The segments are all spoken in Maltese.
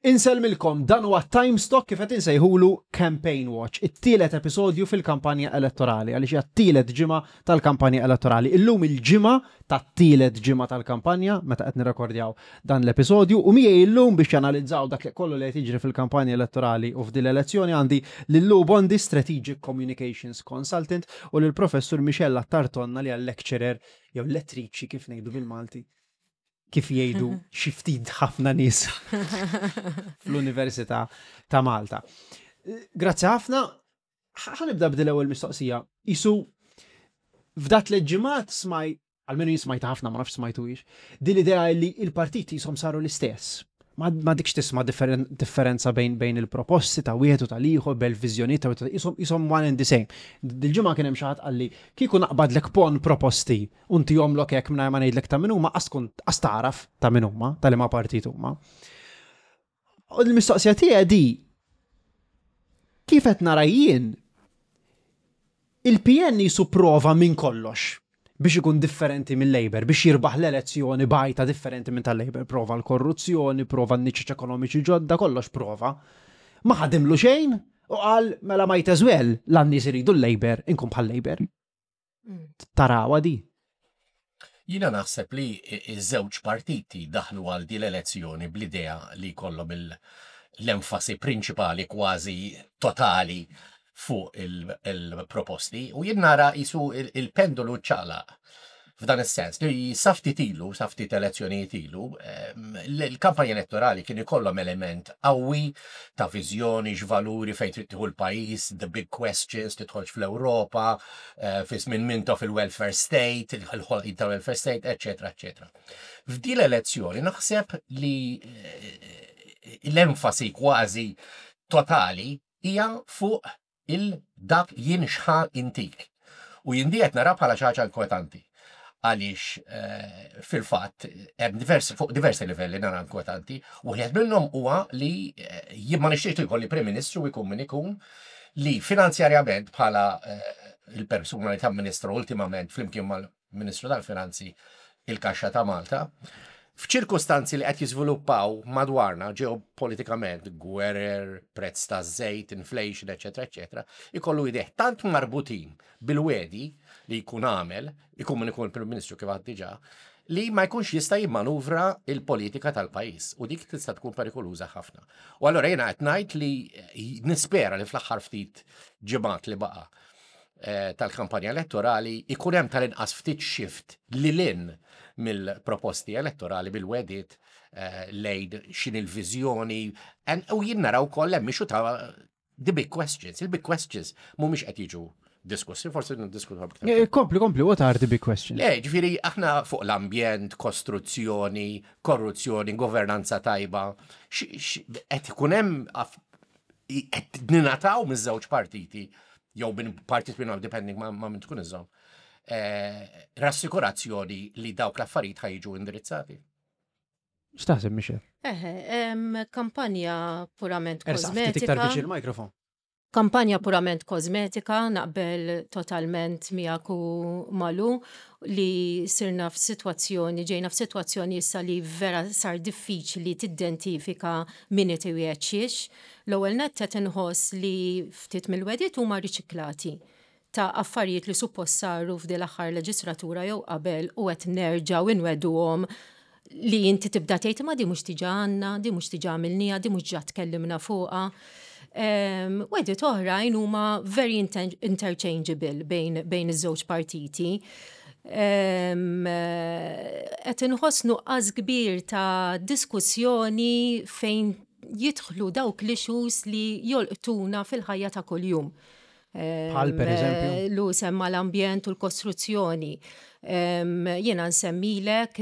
Insellmilkom, dan huwa Time Stock kif qed insejħulu Campaign Watch, it-tielet episodju fil-kampanja elettorali, għaliex hija t-tielet ġimgħa tal-kampanja elettorali. Illum il-ġimgħa tat-tielet ġimgħa tal-kampanja meta qed nirrekordjaw dan l-episodju u miegħi illum biex janalizzaw dak li kollu li qed jiġri fil-kampanja elettorali u f'din l-elezzjoni għandi lil Lou Bondi, Strategic Communications Consultant, u lil Professur Michelle Attartonna li hija lecturer jew lettriċi kif ngħidu bil-Malti kif jgħidu xi ftit ħafna nies fl-Università ta' Malta. Grazzi ħafna. Ħanibda b'dil ewwel mistoqsija. Isu f'dat l-ġimgħat smaj, għalmenu jien smajta ħafna ma nafx smajtuhiex, din l-idea li il-partiti jisom saru l-istess. Ma dikx tisma' differenza bejn bejn il-proposti ta' wieħed u tal-ieħor, bejn il-viżjonijiet ta' wieħed jisom jisom one and the same. Dil-ġimgħa kien hemm xi ħadd qalli kieku naqbadlek pon proposti u ntihomlok hekk mingħajr ma ngħidlek ta' min huma qas tkun qas tagħraf ta' min huma, ta' liema partit huma. U l-mistoqsija tiegħi di kif qed nara jien il-PN jisu prova minn kollox biex ikun differenti mill-Labour, biex jirbaħ l-elezzjoni bajta differenti minn tal-Labour. Prova l-korruzzjoni, prova n-niċeċ ekonomiċi ġodda, kollox prova. Ma ħadimlu xejn u qal mela might as well l-nies iridu l-Labour, inkun bħal Labour. Tarawha di? Jiena naħseb li iż-żewġ partiti daħlu għal din l-elezzjoni bl-idea li jkollhom l-enfasi prinċipali kważi totali fuq il-proposti u jien nara jisu il-pendolu ċaqlaq f'dan is-sens li sa ftit ilu, sa ftit elezzjonijiet ilu, l-kampanja elettorali kien ikollhom element qawwi ta' viżjoni, x'valuri fejn trid tieħu l-pajjiż, the big questions, tidħolx fl-Ewropa, eh, fi żmien Mintoff il-welfare state, il-ħolqien ta' welfare state, eċetera, eċetera. F'din l-elezzjoni naħseb li eh, l-enfasi kważi totali hija fuq il-dak jien x'ħa intik. U jien di qed nara bħala xi ħaġa inkwetanti. Għaliex eh, fil-fatt hemm diversi fuq diversi livelli nara inkwetanti. Wieħed minnhom huwa li eh, jien ma nixtieqx li jkolli Prim Ministru jkun min ikun li finanzjarjament bħala eh, il-persuna li tamministra ultimament flimkien mal Ministru tal-Finanzi il-Kaxxa ta' Malta, f'ċirkustanzi li qed jiżviluppaw madwarna ġeopolitikament, gwerer, prezz ta' żejt, inflation, eċetera, eċetera, ikollu idejh tant marbutin bil-wegħdi li jkun għamel, ikun min ikun il-Prim Ministru kif għad diġà, li ma jkunx jista' jimmanuvra il-politika tal-pajjiż u dik tista' tkun perikoluża ħafna. U allura jiena qed ngħid li nispera li fl-aħħar ftit ġimgħat li baqa' Eh, tal-kampanja elettorali ikun hemm tal-inqas ftit shift lil hinn mill-proposti elettorali bil-wedit eh, lejn xin il-viżjoni u jien naraw koll hemm issue ta' the big questions. Il-big questions mhumiex qed jiġu diskussi, forsi niddiskutu aktar. Eh, kompli, kompli, what are the big questions? Le, ġifieri aħna fuq l-ambjent, kostruzzjoni, korruzzjoni, governanza tajba, qed ikun hemm qed ninataw miż-żewġ partiti jew minn partit minnhom depending ma, ma minn tkun iżżomm, eh, rassikurazzjoni li dawk l-affarijiet ħajġu indirizzati. X'taħseb Michel? Eħe, kampanja purament Ersa' ftit iktar kosmetika. viċin il-mikrofon. Kampanja purament kosmetika, naqbel totalment miegħek u Malu li sirna f'sitwazzjoni, ġejna f'sitwazzjoni issa li vera sar diffiċli tiddentifika min qed iwiegħed xiex. L-ewwel nett qed inħoss li ftit mill-wegħdiet huma riċiklati ta' affarijiet li suppost saru f'din l-aħħar leġislatura jew qabel u qed nerġgħu inwegħduhom li inti tibda tgħid imma di mhux diġà għandna, di mhux diġà għamilniha, di mhux ġa tkellimna fuqha. Wegħdiet oħrajn huma very interchangeable bejn, bejn iż-żewġ partiti. Qed inħoss nuqqas kbir ta' diskussjoni fejn jidħlu dawk l-issues li jolqtuna fil-ħajja ta' kuljum. Bħal per eżempju? Lu semma l-ambjent u l-kostruzzjoni. Jiena nsemmilek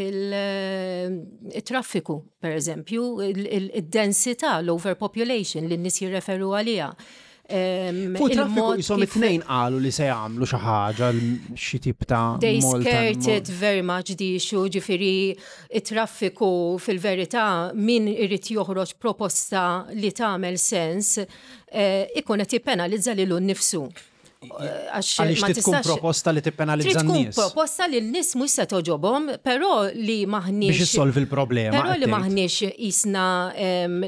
il-traffiku, per eżempju, il-densità, l-overpopulation li n-nies jirreferu għaliha. Fuq traffiku jisom it-tnejn qalu li se jagħmlu xi ħaġa xi tip ta' They skirted very much the issue, ġifieri it-traffiku fil-verità min irid joħroġ proposta li tagħmel sens eh, ikun qed jippenalizza lilu nnifsu. Għax Għaliex ma trid tkun tistax proposta li tippenalizza Trid tkun n-nies. proposta li n-nies mhux se toġobhom, però li maħniex Biex issolvi l-problema. Però li qed tgħid. maħniex jisna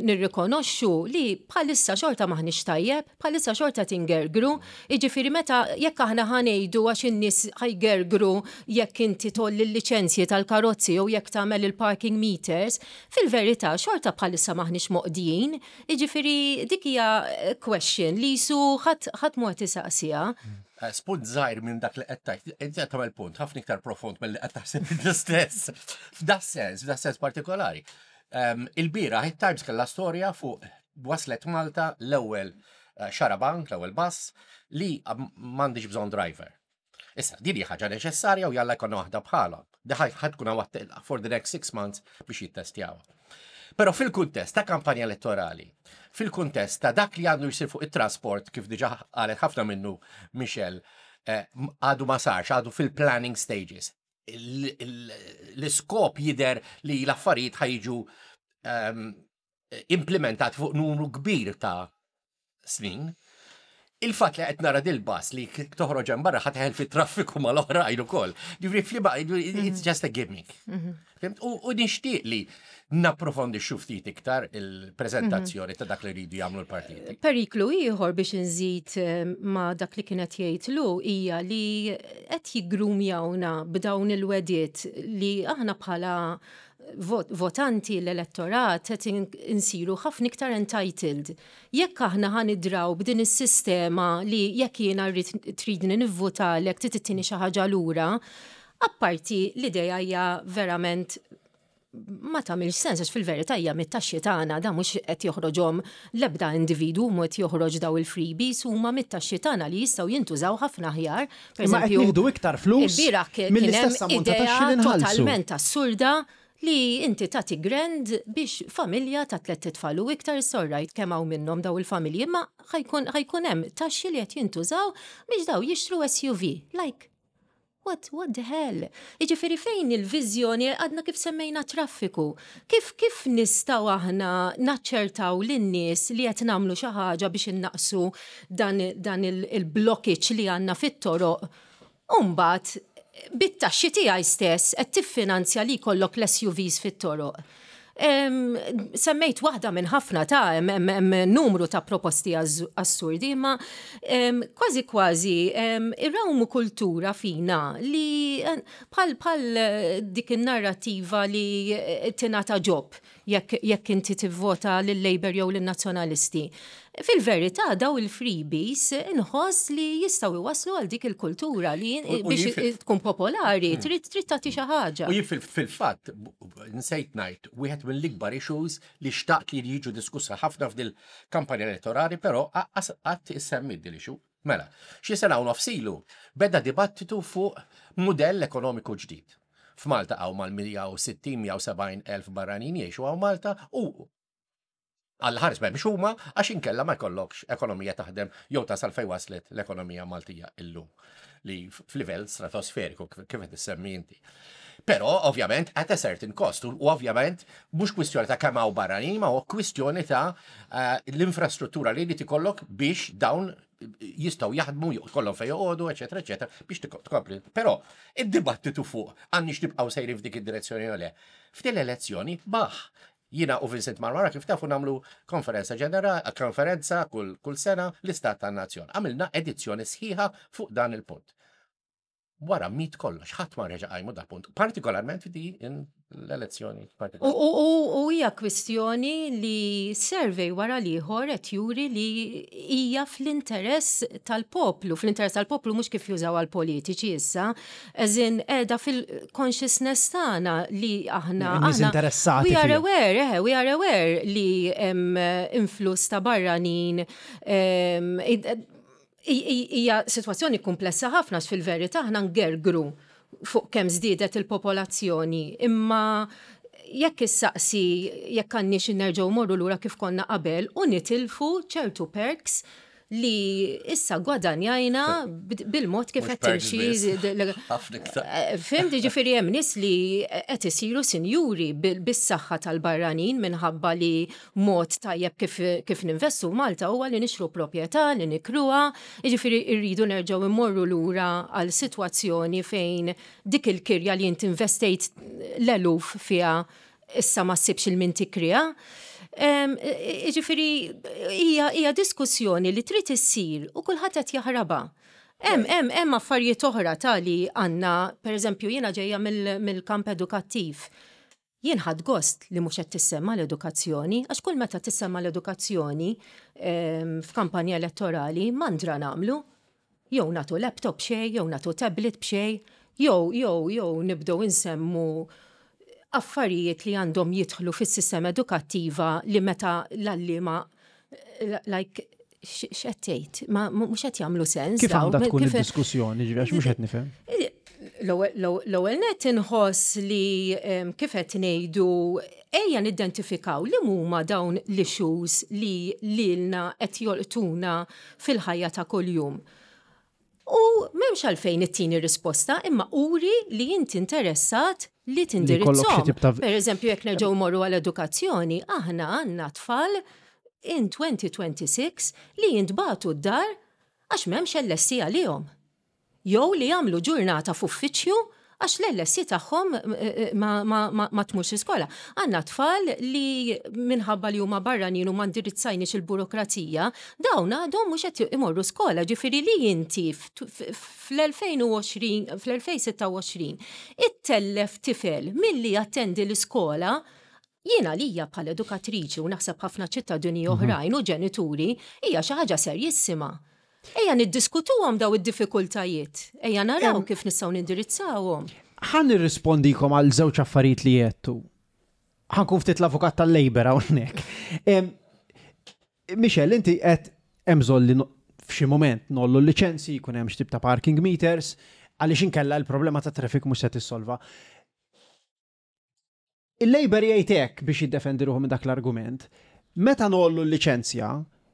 nirrikonoxxu li bħalissa xorta maħniex tajjeb, bħalissa xorta tingergru, jiġifieri meta jekk aħna ħa ngħidu għax in-nies ħa jgergru jekk inti tgħolli l-liċenzji tal-karozzi jew jekk tagħmel il-parking meters, fil-verità xorta bħalissa maħniex moqdijin, jiġifieri dik hija question li jisu ħadd ħadd mhu qed isaqsiha. Spunt żgħir minn dak li qed tgħid, inti qed tagħmel punt ħafna iktar profond milli qed taħseb inti stess. F'da sens, f'da sens partikolari. Il-bieraħ it-Times kellha storja fuq waslet Malta l-ewwel xarabank, l-ewwel bus li m'għandix bżonn driver. Issa, din hija ħaġa neċessarja u jalla jkollna waħda bħalha. Di ħa tkun hawn for the next 6 months biex jittestjawha. Però fil-kuntest ta' kampanja elettorali, fil-kuntest ta' dak li għandu jsir fuq it-trasport, kif diġa qalet ħafna minnu Michelle, għadu ma sarx, għadu fil-planning stages. L-iskop jider li l-affarijiet ħa jiġu implementat fuq numru kbir ta' snin. Il-fatt li qed nara dil-bus li toħroġ hemm barra ħa teħel fit-traffiku mal-oħrajn ukoll. Ġifieri fliba, it's just a gimmick. Fhimt? U nixtieq li napprofondixxu ftit iktar il-preżentazzjoni ta' dak li rridu jagħmlu l-partiti. Periklu ieħor biex nżid ma' dak li kienet jgħid lu hija li qed jiggrumjawna b'dawn il-wegħdiet li aħna bħala votanti, l-elettorat, qed insiru ħafna iktar entitled. Jekk aħna ħa nidraw b'din is-sistema li jekk jiena rrid tridni nivvotalek trid ittini xi ħaġa lura, apparti l-idea hija verament ma tagħmilx sens għax fil-verità hija mit-taxxi tagħna, da mhux qed joħroġhom l-ebda individwu, mhu qed joħroġ daw il-freebies, huma mit-taxxi tagħna li jistgħu jintużaw ħafna aħjar. Per Imma qed eżempju, nieħdu iktar flus il-bieraħ kien hemm mill-istess ammont ta' idea taxxi li nħallsu. totalment assurda li inti tagħti grand biex familja ta' tliet itfal u iktar, sorrajt kemm hawn minnhom daw il-familji, imma ħa jkun hemm taxxi li qed jintużaw biex daw jixtru SUV. Like, what the hell? Jiġifieri fejn il-viżjoni? Għadna kif semmejna traffiku? Kif nistgħu aħna naċċertaw lin-nies li qed nagħmlu xi ħaġa biex innaqsu dan il-blockage li għandna fit-toroq? Umbagħad, bit-taxxi tiegħi stess qed tiffinanzja li jkollok l-SUVs fit-toroq. Semmejt waħda minn ħafna ta' hemm numru ta' proposti assurdi, imma kważi kważi irrawmu kultura fina li bħal dik in-narrativa li tingħata job jekk inti tivvota lil-Labour jew lin-Nazzjonalisti. Fil-verità daw il-freebies inħoss li jistgħu iwasslu għal dik il-kultura li U biex jien fil- tkun popolari trid tagħti xi ħaġa. U jien fil-fatt, nsejt ngħid, wieħed mill-ikbar issues li xtaqt li jiġu diskussa ħafna f'dil kampanja elettorali, però qatt issemmi din issue. Mela, xi sena u nofs ilu beda dibattitu fuq mudell ekonomiku ġdid. F'Malta hawn mal-160-170 elf barranin jgħixu hawn Malta u għall-ħares m'hemmx huma, għax inkella ma jkollokx ekonomija taħdem jew tasal fejn waslet l-ekonomija Maltija illum li f'livell stratosferiku kif qed issemmi inti. Però ovvjament at a certain cost u ovvjament mhux kwistjoni ta' kemm hawn barranin, ma huwa kwistjoni ta' l-infrastruttura li li tikollok biex dawn jistgħu jaħdmu, jkollhom fejn joqogħdu, eċetera, eċetera, biex tkompli. Però id-dibattitu fuq għandniex nibqgħu sejrin f'dik id-direzzjoni jew le. F'din l-elezzjoni baħ. Jiena u Vincent Marmara, kif tafu, nagħmlu konferenza ġenerali, konferenza kull sena, l-Istat tan-Nazzjon. Għamilna edizzjoni sħiħa fuq dan il-punt. Wara miet kollox, ħadd ma reġa' qajmu dal punt, partikolarment f'di l-elezzjoni. U u hija kwistjoni li survey wara l-ieħor qed juri li hija fl-interess tal-poplu, fl-interess tal-poplu mhux kif jużaw għal-politiċi issa, eżin qiegħda fil-consciousness tagħna li aħna In-nies interessati we are fiha. aware, we are aware li hemm influss ta' barranin hija sitwazzjoni komplessa ħafna għax fil-verità aħna ngergru fuq kemm żdiedet il-popolazzjoni, imma jekk issaqsi jekk għandniex nerġgħu morru lura kif konna qabel u nitilfu ċertu perks. li issa gwadanjajna bil-mod kif qed timxi. Eh, Fim, ġifieri hemm nies li qed isiru sinjuri bis-saħħa tal-barranin minħabba li mod tajjeb kif, kif ninvestu Malta huwa li nixru proprjetà, li nikruha, jiġifieri rridu nerġgħu immorru lura għal sitwazzjoni fejn dik il-kirja li inti investejt l-eluf fiha issa ma ssibx il-min tikriha. Jiġifieri hija diskussjoni li trid issir u kulħadd qed jaħrabha. Hemm hemm hemm affarijiet oħra ta' li għandna, pereżempju jiena ġejja mill-kamp edukattiv. Jien ħadt gost li mhux qed tissemma l-edukazzjoni, għax kull meta tissemma l-edukazzjoni f'kampanja elettorali mandra nagħmlu. Jew nagħtu laptop b'xejn, jew nagħtu tablet b'xejn, jew jew jew nibdew insemmu affarijiet li għandhom jidħlu fis-sistema edukattiva li meta l-għalliema like x'qed tgħid? Ma mhux qed jagħmlu sens. Kif għandha tkun id-diskussjoni, ġifieri għax mhux qed nifhem. L-ewwel nett inħoss li kif qed ngħidu ejja nidentifikaw li huma dawn l-issues li lilna qed jolqtuna fil-ħajja ta' kuljum. U m'hemmx għalfejn ittini risposta, imma uri li inti interessat li tindirizzhom. Per eżempju, jekk nerġgħu morru għall-edukazzjoni, aħna għandna tfal in 2026 li jintbagħtu d-dar għax m'hemmx LSE għalihom. Jew li jagħmlu ġurnata f'uffiċċju għax l-LSE tagħhom ma tmurx l-iskola. Għandna tfal li minħabba li huma barranin u ma ndirizzajniex il-burokrazija, dawn għadhom mhux qed imorru skola. Ġifieri li inti fl-2020, fl-2026 ittellef tifel milli jattendi l-iskola, jien għalija bħala edukatriċi u naħseb ħafna ċittadini oħrajn u ġenituri, hija xi ħaġa serjissima. Ejja niddiskutuhom daw id-diffikultajiet, ejja naraw kif nistgħu nindirizzawhom. Ħa nirrispondikom għal żewġ affarijiet li għedtu. Ħa nkun ftit l-avukat tal-Labour hawnhekk. Michelle, inti qed hemm bżonn li f'xi mument nollu l-liċenzji, jkun hemm x'tip ta' parking meters, għaliex inkella l-problema ta' traffic mhux se tissolva. Il-Labour jgħid hekk biex jiddefendi ruħu minn dak l-argument. Meta ngħollu l-liċenzja,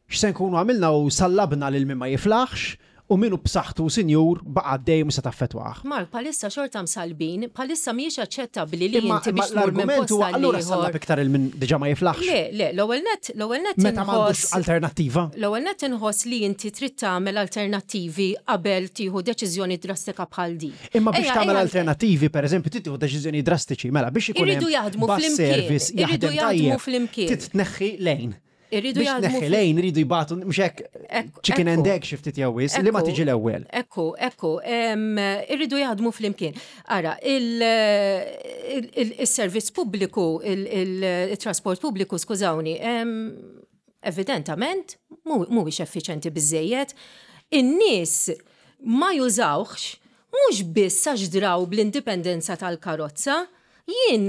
x'se nkunu għamilna hu sallabna lil min ma jiflaħx u min hu b'saħħtu u sinjur baqa' għaddej u mhux se taffettwah. Mark, bħalissa xorta msallbin, bħalissa mhijiex aċċettabbli li inti biex tmur minn post għal ieħor. Allura sallab iktar 'il min diġà ma jiflaħx. Le, le, l-ewwel nett, l-ewwel nett Meta m'għandux alternattiva. L-ewwel nett inħoss li inti trid tagħmel alternattivi qabel tieħu deċiżjoni drastika bħal din. Imma biex tagħmel alternattivi, pereżempju, trid tieħu deċiżjonijiet drastiċi, mela biex ikun hemm bus service jaħdem tajjeb, trid tneħħi lejn. Irridu Biex tneħħi lejn iridu jbatu mhux hekk chicken and egg xi ftit jew wisq, li ma tiġi l-ewwel. Ekku, ekku, irridu jaħdmu flimkien. Ara, il-servizz pubbliku, il-trasport pubbliku, skużawni, evidentament mhuwiex effiċenti biżejjed. In-nies ma jużawhx mhux biss għax draw bl-indipendenza tal-karozza. Jien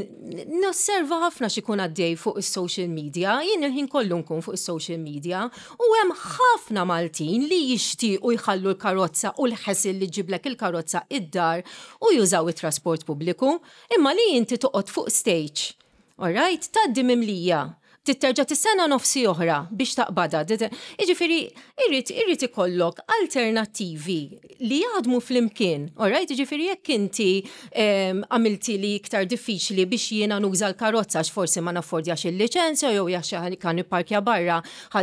nosserva ħafna x'ikun għaddej fuq is-social media, jien il-ħin kollu nkun fuq is-social media u hemm ħafna Maltin li jixtiequ jħallu l-karozza u l-ħesil li ġġiblek il-karozza id-dar u jużaw it-trasport pubbliku, imma li inti toqgħod fuq stage All right, tgħaddi mimlija. Trid terġa' tistenna nofsi oħra biex taqbadha. Jiġifieri irid irid ikollok alternattivi li jaħdmu flimkien. All right, jiġifieri jekk inti għamilti li iktar diffiċli biex jiena nuża l-karozza għax forsi ma naffordjax il-liċenzja jew jekk ħa nipparkja barra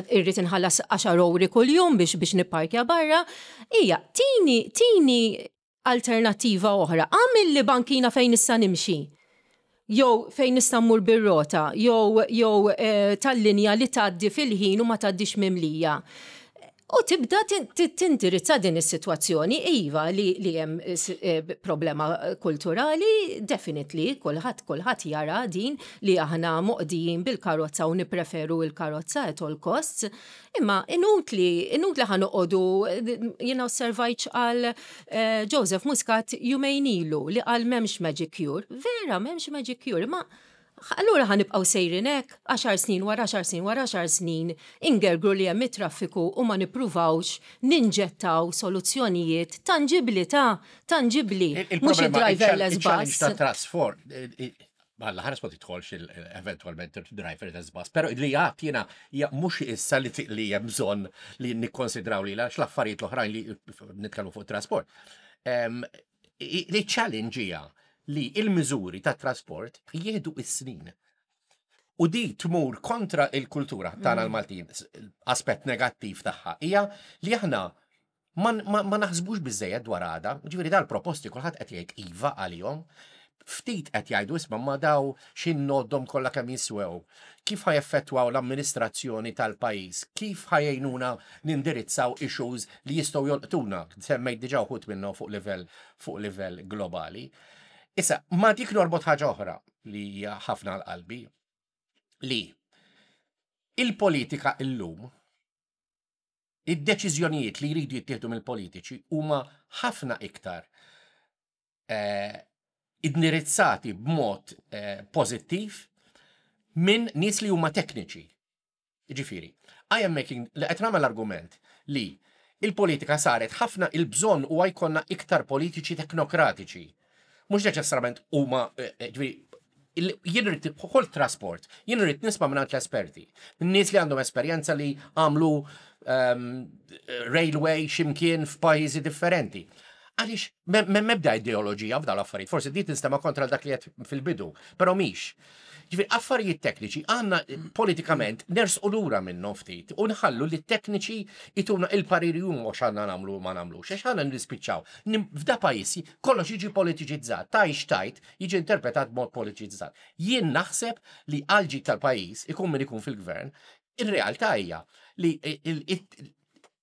irrid inħallas għaxar ewri kuljum biex biex nipparkja barra. Hija, tini tini alternattiva oħra. Għamilli bankina fejn nista' nimxi. Jew fejn nista' mmur bir-rota, jew jew eh, tal-linja li tgħaddi fil-ħin u ma tgħaddix mimlija. U tibda tindirizza din is-sitwazzjoni, iva li, li hemm eh, problema kulturali, definitely, kulħadd kulħadd jara din li aħna moqdijin bil-karozza u nippreferu il-karozza at all costs. Imma inutli, inutli ħa noqogħdu, jiena osservajt x'qal eh, Joseph Muscat jumejn ilu li qal m'hemmx magic cure. Vera m'hemmx magic cure, imma allura ħa nibqgħu sejrin hekk, għaxar snin wara għaxar snin wara għaxar snin ingergru li hemm it-traffiku u ma nippruvawx ninġettaw soluzzjonijiet tanġibbli ta' tanġibbli, mhux Il-problema, id-driverless il-challenge bus. ta' trasfor, Alla ħares ma tidħolx eventualment il-driver test bus, pero li għat jena mhux issa li li hemm bżonn li nikkonsidraw li għax l-affarijiet l-oħrajn li nitkellmu fuq trasport. Li challenge hija li il-miżuri ta' trasport jieħdu is-snin. U di tmur kontra il-kultura tagħna l-Maltin, aspett negattiv tagħha hija li aħna Ma, ma, ma naħsbux biżejjed dwar għada, ġifieri dal-proposti kulħadd qed jgħid iva għalihom, ftit qed jgħidu isma' ma daw x'innoddhom kollha kemm jiswew, kif ħa jeffettwaw l-amministrazzjoni tal-pajjiż, kif ħa jgħinuna nindirizzaw issues li jistgħu jolqtuna, semmejt diġà wħud minnhom fuq livell fuq livell globali. Issa, ma dik norbot ħaġa oħra li hija ħafna għal qalbi, li il-politika illum Id-deċiżjonijiet li jridu jittieħdu mill-politiċi huma ħafna iktar eh, indirizzati b'mod eh, pożittiv minn nies li huma tekniċi. Ġifieri, I am making li qed nagħmel argument li il-politika saret ħafna il-bżonn huwa jkollna iktar politiċi teknokratiċi. Mhux neċessarjament huma eh, eh, ġifieri jien rrid kull trasport, jien rrid nisma' mingħand l-esperti. Nies li għandhom esperjenza li għamlu um, railway ximkien f'pajjiżi differenti. Għaliex m'hemm ebda ideoloġija f'dawn l-affarijiet, forsi di tinstema' kontra dak li qed fil-bidu, però mhix. Ġifieri affarijiet tekniċi għandna politikament nersqu lura minnhom ftit u nħallu li t-tekniċi ituna il-pariri huma x'għandna nagħmlu u ma nagħmlux, għax għandna nispiċċaw. F'da pajjiż kollox jiġi politiċizzat, tajx tajt jiġi interpretat b'mod politiċizzat. Jien naħseb li għal ġid tal-pajjiż ikun min ikun fil-gvern, ir-realtà hija li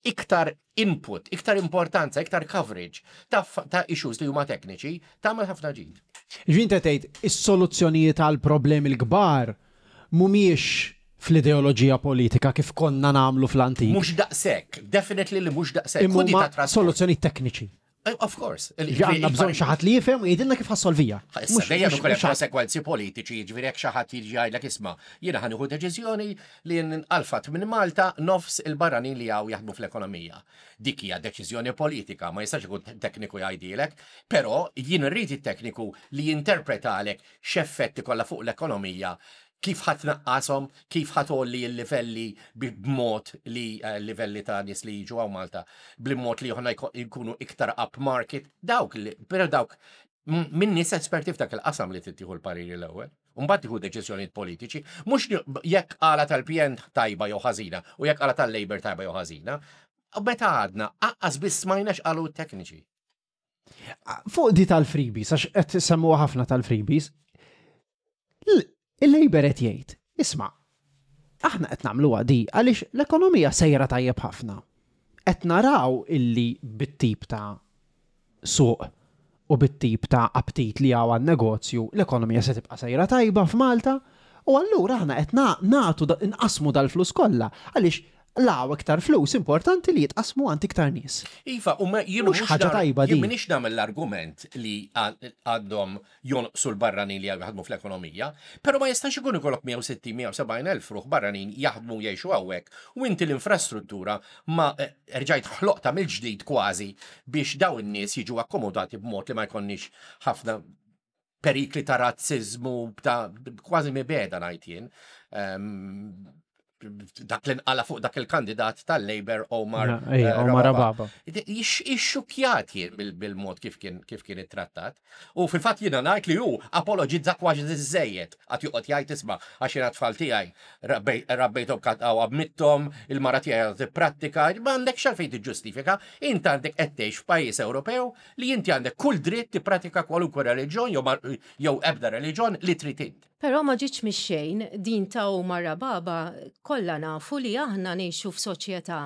iktar input, iktar importanza, iktar coverage ta', ta issues li huma tekniċi tagħmel ħafna ġid. Ġvin tgħid is-soluzzjonijiet għal problemi l-kbar mhumiex fl-ideoloġija politika kif konna nagħmlu fl-antik. Mhux daqshekk, definitely li mhux daqshekk. Imma soluzzjonijiet tekniċi. Of course. Għandna bżonn xi ħadd li jifhem u jgħidilna kif ħa ssolviha. Issa dejjem ikun hemm konsekwenzi politiċi, jiġifieri jekk xi ħadd jiġi jgħidlek isma' jiena ħa nieħu deċiżjoni li nqalfat minn Malta nofs il-barranin li hawn jaħdmu fl-ekonomija. Dik hija deċiżjoni politika, ma jistax ikun tekniku jgħidilek, però jien irrid it-tekniku li jinterpretalek x'effett ikollha fuq l-ekonomija kif ħa tnaqqashom, kif ħa tgħolli l-livelli b'mod li eh, livelli ta' nies li jiġu hawn Malta, b'mod li aħna jkunu iktar up market, dawk li, però dawk minn nies esperti f'dak il-qasam li tittieħu l-pariri l-ewwel. Mbagħad tieħu deċiżjonijiet politiċi, mhux jekk qala tal-PN tajba jew ħażina u jekk qala tal-Labour tajba jew ħażina. U meta għadna, aqqas biss smajna x'qalu t-tekniċi. Fuq di tal-freebies, għax qed semmuha ħafna tal-freebies, il-Labour qed jgħid, isma' aħna qed nagħmluha di għaliex l-ekonomija sejra tajjeb ħafna. Qed naraw illi bit-tip ta' suq u bit-tip ta' aptit li hawn għan-negozju, l-ekonomija se tibqa' sejra tajba f'Malta u allura aħna qed nagħtu nqasmu dal-flus kollha għaliex law iktar flus importanti li jitqasmu għand iktar nies. Iva, u ma jien Mhux ħaġa tajba din. Jien m'iniex nagħmel l-argument li għandhom jonqsu l-barranin li jaħdmu fl-ekonomija, però ma jistax ikun ikollok 160-170 elf ruħ barranin jaħdmu jgħixu hawnhekk u inti l-infrastruttura ma eh, erġajt ħloqta mill-ġdid kważi biex daw in-nies jiġu akkomodati b'mod li ma jkollniex ħafna perikli ta' razzizmu, ta' kważi mibegħda ngħid jien. Ehm, dak li nqala fuq dak il-kandidat tal-Labour Omar eh, Omar Rababa. Ixxukjat jien bil-mod kif kien kif kien ittrattat. U fil-fatt jiena ngħid li hu apologizza kważi żejjed għad joqgħod jgħid isma' għax jiena tfal tiegħi rabbejthom għaw abmittom, il-mara tiegħi tipprattika, ma għandekx għalfejn tiġġustifika, int għandek qed tgħix f'pajjiż Ewropew li inti għandek kull dritt tippratika kwalunkwe reliġjon jew ebda reliġjon li trid int. Però ma ġietx mix-xejn, din ta' Omar Rababa kollha nafu li aħna ngħixu f'soċjetà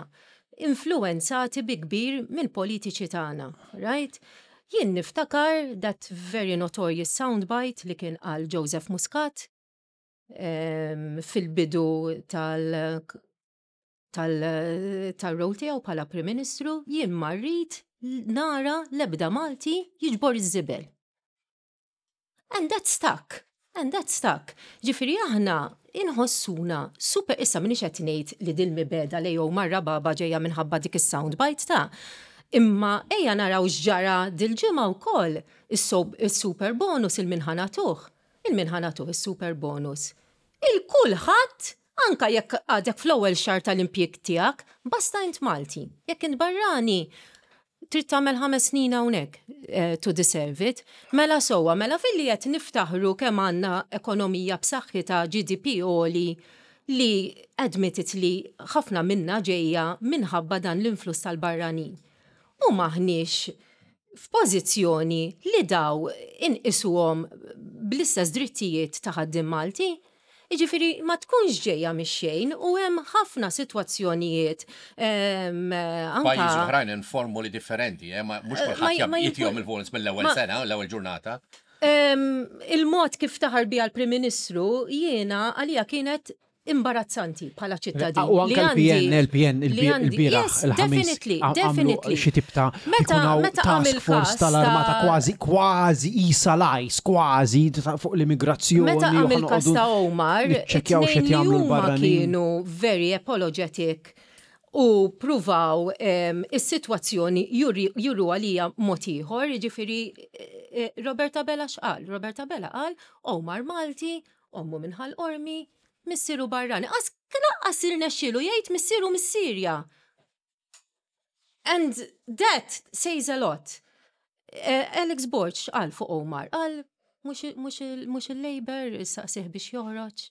influwenzati bi kbir mill-politiċi tagħna, right? Jien niftakar that very notorious soundbite li kien qal Joseph Muscat fil-bidu tal tal-role tiegħu bħala Prim Ministru, jien ma rrid nara l-ebda Malti jiġbor iż-żibel. And that stuck. And that stuck. Ġifieri aħna inħossuna super, issa minix qed ngħid li dil mibegħda lejn Omar Rababa ġejja minħabba dik is-soundbite ta' imma ejja naraw x'ġara dil-ġimgħa wkoll is-super bonus il min ħa nagħtuh. Lil min ħa nagħtuh is-super bonus? Il kulħadd, anka jekk għadek fl-ewwel xahar tal-impjieg tiegħek, basta int Malti. Jekk int barrani, trid tagħmel 5 snin hawnhekk to deserve it. Mela sewwa, mela filli qed niftaħru kemm għandna ekonomija b'saħħitha, GDP għoli, li admittedly ħafna minnha ġejja minħabba dan l-influss tal-barranin. U m'aħniex f'pożizzjoni li daw inqisuhom bl-istess drittijiet ta' ħaddiem Malti. Jiġifieri ma tkunx ġejja mix-xejn u hemm ħafna sitwazzjonijiet anke. Pajjiżi oħrajn hemm formuli differenti, eh, ma mhux kulħadd jagħtihom il-bonus mill-ewwel sena, l-ewwel ġurnata. Il-mod kif taħar biha l-Prim Ministru jiena għalija kienet imbarazzanti bħala ċittadin. U anke l-PN, l-PN, il-bieraħ, il-ħamis. Definitely. Xi tip ta' task force tal-armata kważi, kważi isa lajs, kważi fuq l-immigrazzjoni. Meta għamil kas ta' Omar, ċekjaw xi jagħmlu l-barranin. Kienu very apologetic u pruvaw is-sitwazzjoni juru għalija mod ieħor, jiġifieri eh, Robert Abela x'qal? Robert Abela qal Omar Malti, ommu minn Ħal Qormi, missieru barrani. Qas laqqas irnexxielu jgħid missieru mis-Sirja. And that says a lot. Eh, Alex Borg x'qal fuq Omar? Qal mhux il-Labour saqsih biex joħroġ.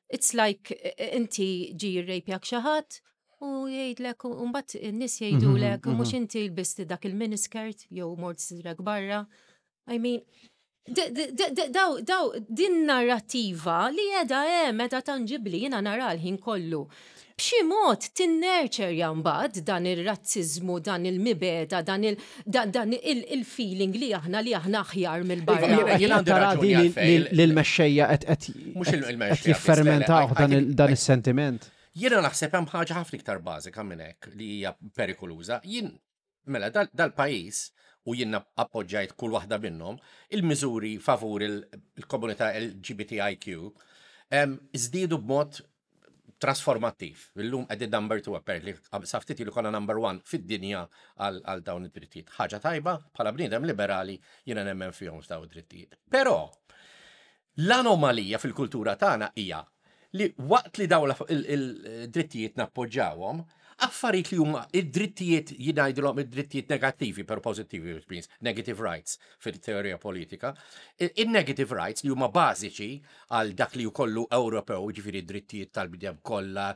It's like eh, eh, inti ġi jirrejpjak xi ħadd u jgħidlek u mbagħad in-nies jgħidulek mhm, mhux mhm. inti lbisti dak il-miniskirt jew mort sidrek barra. I mean, daw, daw, din narrativa li edha hemm, edha tangibli, jiena nara l-ħin kollu. B'xi mod tinnerċerja mbagħad dan ir-razziżmu, dan il-mibegħda, dan il-feeling li aħna li aħna aħjar mill-barra. Jiena tara di li l-mexxejja qed jiffermentaw dan is-sentiment. Jiena naħseb hemm ħaġa ħafna iktar bażika minn hekk li hija perikoluża. Jien Mela, dal-pajjiż, u jien appoġġajt kull waħda minnhom, il-miżuri favur il-komunità LGBTIQ żdiedu b'mod trasformattiv. Illum qegħdin number 2 apparently, sa ftit ilu konna number 1 fid-dinja għal dawn id-drittijiet. Ħaġa tajba, bħala bniedem liberali jiena nemmen fihom f'dawn id-drittijiet. Però L-anomalija fil-kultura tagħna hija li waqt li dawn il-drittijiet nappoġġawhom, affarijiet li huma id-drittijiet jien ngħidilhom id-drittijiet negattivi però pożittivi which means negative rights fil-teorija politika, in-negative rights li huma bażiċi għal dak li kollu Ewropew, jiġifieri d-drittijiet tal-bniedem kollha,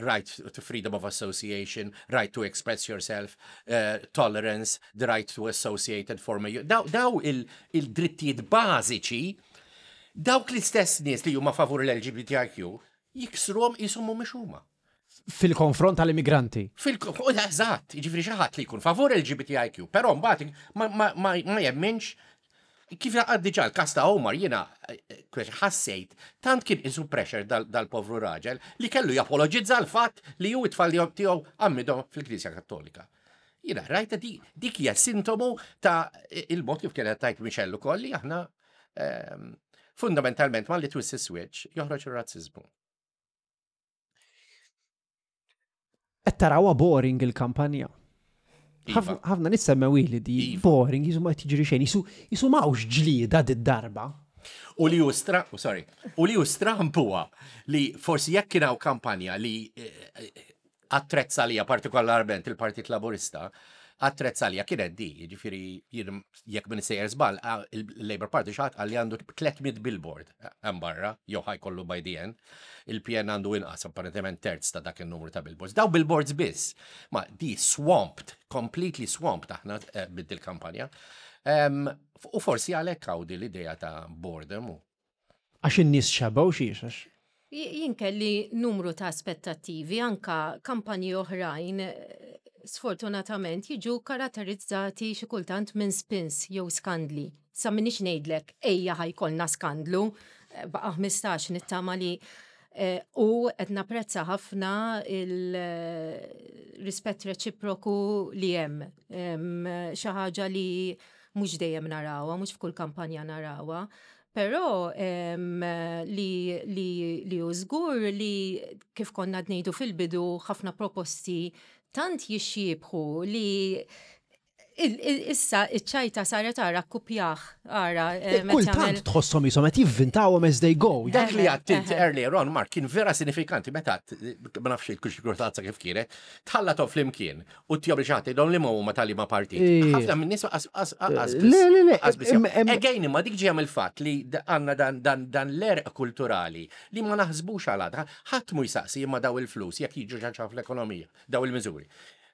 right to freedom of association, right to express yourself, eh, tolerance, the right to associate and form a daw il-drittijiet bażiċi, dawk l-istess nies li huma favur l-LGBTIQ jiksruhom qishom mhumiex huma. Fil-konfront tal-immigranti. Eżatt, jiġifieri xi ħadd li jkun favur LGBTIQ, però mbagħad ma jemminx kif laqgħad diġà l-każ ta' Omar jiena eh, ħassejt tant kien isu pressure dal-povru raġel li kellu japologizza l-fatt li hu it-tfal tiegħu għammidhom fil-Knisja Kattolika. Jiena rajta di, dik hija sintomu ta' il-mod kif kienet tajt Michelle ukoll li aħna ehm, fundamentalment ma li twissi switch joħroġ ir-razziżmu. Qed tarawha boring il-kampanja. Iva. Ħafna nies semmew ili di iva. boring, jisu ma tiġri xejn, jisu mawx ġlieda did-darba. U li ustra, oh, sorry, u li ustra huwa li forsi jekk kien hawn kampanja li eh, eh, Attrezz għalija partikolarment il-Partit Laburista, attrezz għalija kienet di, jiġifieri jien jekk minn sejjer żball, il-Labour Party xi ħadd qal li għandu 300 billboard hemm barra, jew ħa jkollu by the end. Il-PN għandu inqas, apparentement terz ta' dak in-numru ta' billboards. Daw billboards biss. Ma di swamped, completely swamped aħna eh, bid il-kampanja. U forsi għalhekk hawn din l-idea ta' boredom u Għax in-nies xebgħu xiex għax. Jien kelli numru ta' aspettattivi, anka kampanji oħrajn sfortunatament jiġu karatterizzati xi kultant minn spins jew skandli. Sa m'iniex ngħidlek ejja ħa jkollna skandlu, baqa' 15 nittama li u qed napprezza ħafna il-rispett reċiproku li hemm. Xi ħaġa li mhux dejjem narawha, mhux f'kull kampanja narawha. Però li li li hu żgur li kif konna ngħidu fil-bidu ħafna proposti tant jixxiebħu li Issa iċ-ċajta saret ara kkupjah, ara. Eh, kultant tħosshom jisom qed jivvintawhom as they go. Dak li għadt earlier on, Mark, kien vera sinifikanti meta ma nafx il-kuxi kif kienet, tħallathom flimkien u tjob li xaħat jgħidhom li ma huma tal ma partit. Ħafna minn nies qas Le, le, le. Again, imma dik ġejja mill-fatt li għandna dan l-erq kulturali li ma naħsbux għal għadha. Ħadd mu jsaqsi imma daw il-flus jekk jiġu xi fl-ekonomija, daw il-miżuri.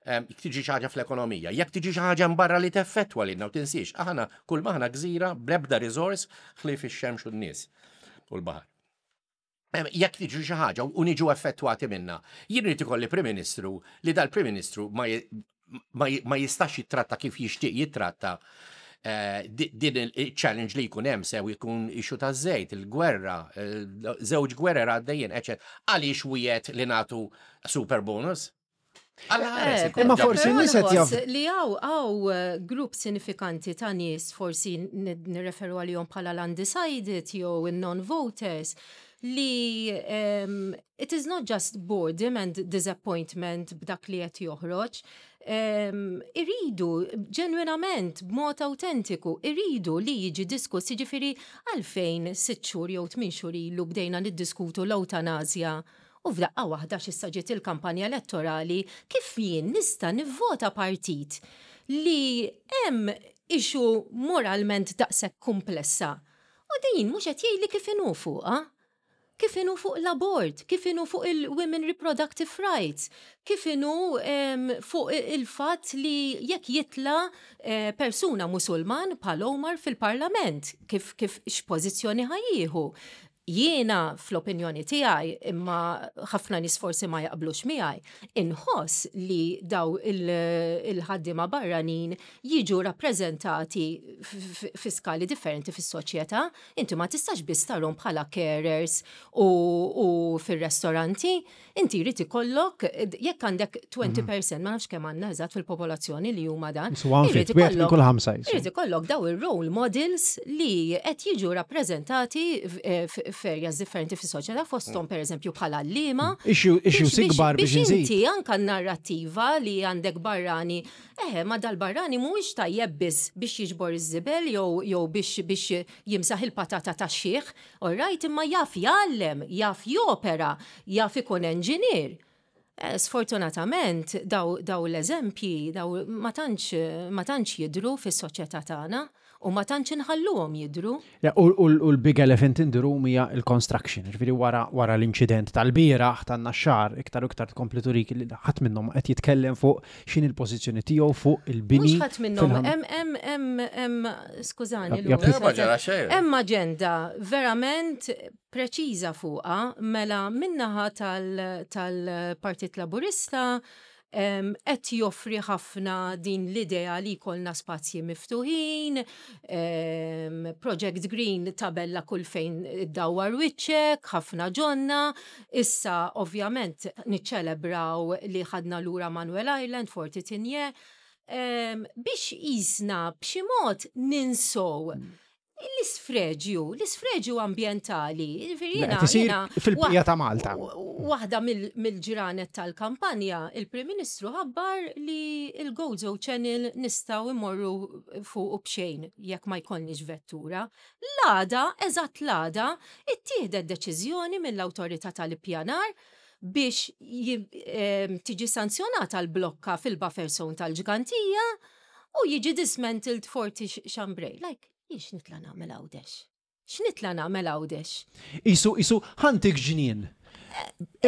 Jekk tiġi xi ħaġa fl-ekonomija, jekk tiġi xi ħaġa barra li teffettwa lilna u tinsiex, aħna kull maħna gżira bl-ebda riżors ħlief ix-xemx u n-nies u l-baħar. Jekk tiġi xi ħaġa u niġu effettwati minna, jien irid ikolli Prim Ministru li dal-Prim Ministru ma jistax jittratta kif jixtieq jittratta eh, din il-challenge li jkun hemm sew jkun issue ta' żejt, il-gwerra, eh, żewġ gwerer għaddejjin, eċetera. Għaliex wiegħed li nagħtu super bonus? Eh, imma forsi nies qed jaf. Li hawn grupp sinifikanti ta' nies forsi nirreferu għalihom bħala l-undecided jew non-voters li it is not just boredom and disappointment b'dak li qed joħroġ. Iridu ġenwinament b'mod autentiku, iridu li jiġi diskuss, jiġifieri għalfejn 6 xhur jew 8 xhur ilu bdejna niddiskutu l-eutanazja u f'daqqa waħda x'issa ġiet il-kampanja elettorali kif jien nista' nivvota partit li hemm issue moralment daqshekk komplessa. U din mhux qed jgħidli kif inhu fuqha. Kif inhu fuq l-abort, kif inhu fuq il-women reproductive rights, kif inhu fuq il-fatt li jekk jitla eh, persuna musulman bħal Omar fil-parlament, kif kif x'pożizzjoni ħa jieħu. Jiena fl-opinjoni tiegħi imma ħafna nies forsi ma jaqblux miegħi, inħoss li daw il-ħaddiema barranin jiġu rappreżentati fi skali differenti fis-soċjetà. Inti ma tistax biss tarhom bħala carers u fir-restoranti. Inti jrid ikollok jekk għandek 20%, ma nafx kemm għandna eżatt fil-popolazzjoni li huma dan. Irid ikollok irid ikollok daw ir-role models li qed jiġu rappreżentati f'areas differenti fis-soċjetà fosthom pereżempju bħala għalliema. Issues ikbar biex inti anka narrattiva li għandek barrani, eħe, ma dal-barrani mhuwiex tajjeb biss biex jiġbor iż-żibel jew biex jimsaħ il-patata tax-xiħ, all right, imma jaf jgħallem, jaf jopera, jaf ikun engineer. Sfortunatament daw l-eżempji daw ma tantx jidru fis-soċjetà tagħna u ma tantx inħalluhom jidru. U l-big elephant in the room hija il-construction, ġifieri wara l-inċident tal-bieraħ tan-Naxxar, iktar u iktar tkompli turik li ħadd minnhom qed jitkellem fuq x'inhi l-pożizzjoni tiegħu fuq il-bini. Mhux ħadd minnhom hemm skużani, hemm aġenda verament preċiża fuqha mela min-naħa tal-Partit Laburista qed joffri ħafna din l-idea li jkollna spazji miftuħin, Project Green tabella kull fejn iddawwar wiċċek, ħafna ġonna, issa ovvjament niċċelebraw li ħadna lura Manuel Island, Forti Tigné, biex jisna b'xi mod ninsow l-isfreġju, l-isfreġju ambientali. Fil-bqija ta' Malta. Waħda mill-ġranet tal-kampanja, il-Prim Ministru ħabbar li il-Gozo Channel nistgħu immorru fuq b'xejn jekk ma jkollniex vettura. L-għada, eżatt l-għada, ittieħdet deċiżjoni mill-awtorità tal-ippjanar biex tiġi sanzjonata l-blokka fil-buffer zone tal-Ġgantija u jiġi dismantled Forti Chambray. Like, jien nitla' nagħmel Għawdex? X'nitla' nagħmel Għawdex? Isu ħa ntik ġnien.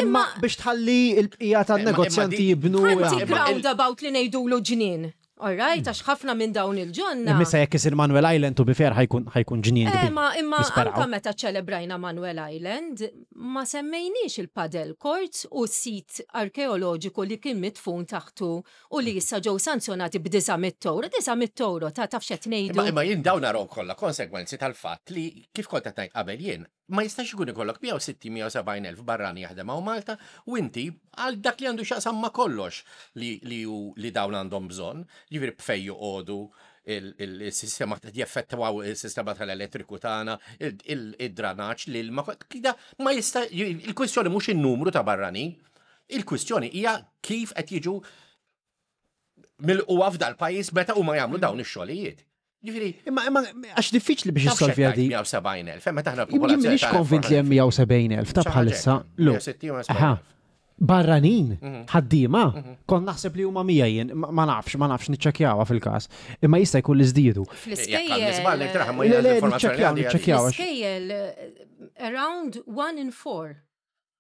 Imma biex tħalli il-bqija tan-negozjanti jibnu. Ħa ntik roundabout li ngħidulu ġnien. All right, għax ħafna minn dawn il-ġonna. Imma jekk isir Manuel Island to be fair ħa jkun ġnien. Eh, ma imma anka meta ċelebrajna Manuel Island, ma semmejniex il-padel courts u sit arkeoloġiku li kien mitfun taħtu u li issa ġew sanzjonati b'900 euro. 900 euro ta' taf x'qed ngħidu. Imma jien dawn naraw kollha konsegwenzi tal-fatt li kif kont qed ngħid qabel jien, ma jistax ikun ikollok 160-170 elf barrani jaħdem hawn Malta u inti għal dak li għandu x'jaqsam ma kollox li dawn għandhom bżonn, ġifieri b'fejn joqogħdu il-sistema jeffettwaw il-sistema tal-elettriku tagħna, id-dranaġġ, l-ilma, ma jista' il-kwistjoni mhux in-numru ta' barrani, il-kwistjoni hija kif qed jiġu. milquha f'dal-pajjiż meta huma jagħmlu dawn ix-xogħlijiet. Ġifieri. Imma imma għax diffiċli biex issolvi di. 170,000, meta aħna l-popolazzjoni. Jien m'iniex konvint li hemm 170,000 ta' bħalissa. Lu. Barranin, ħaddiema, kont naħseb li huma 100 jien, ma nafx, ma nafx niċċekkjawha fil-każ. Imma jista' jkun li żdiedu. Fl-iskejjel. Le, le, niċċekkjaw, niċċekkjaw. Fl-iskejjel around one in four.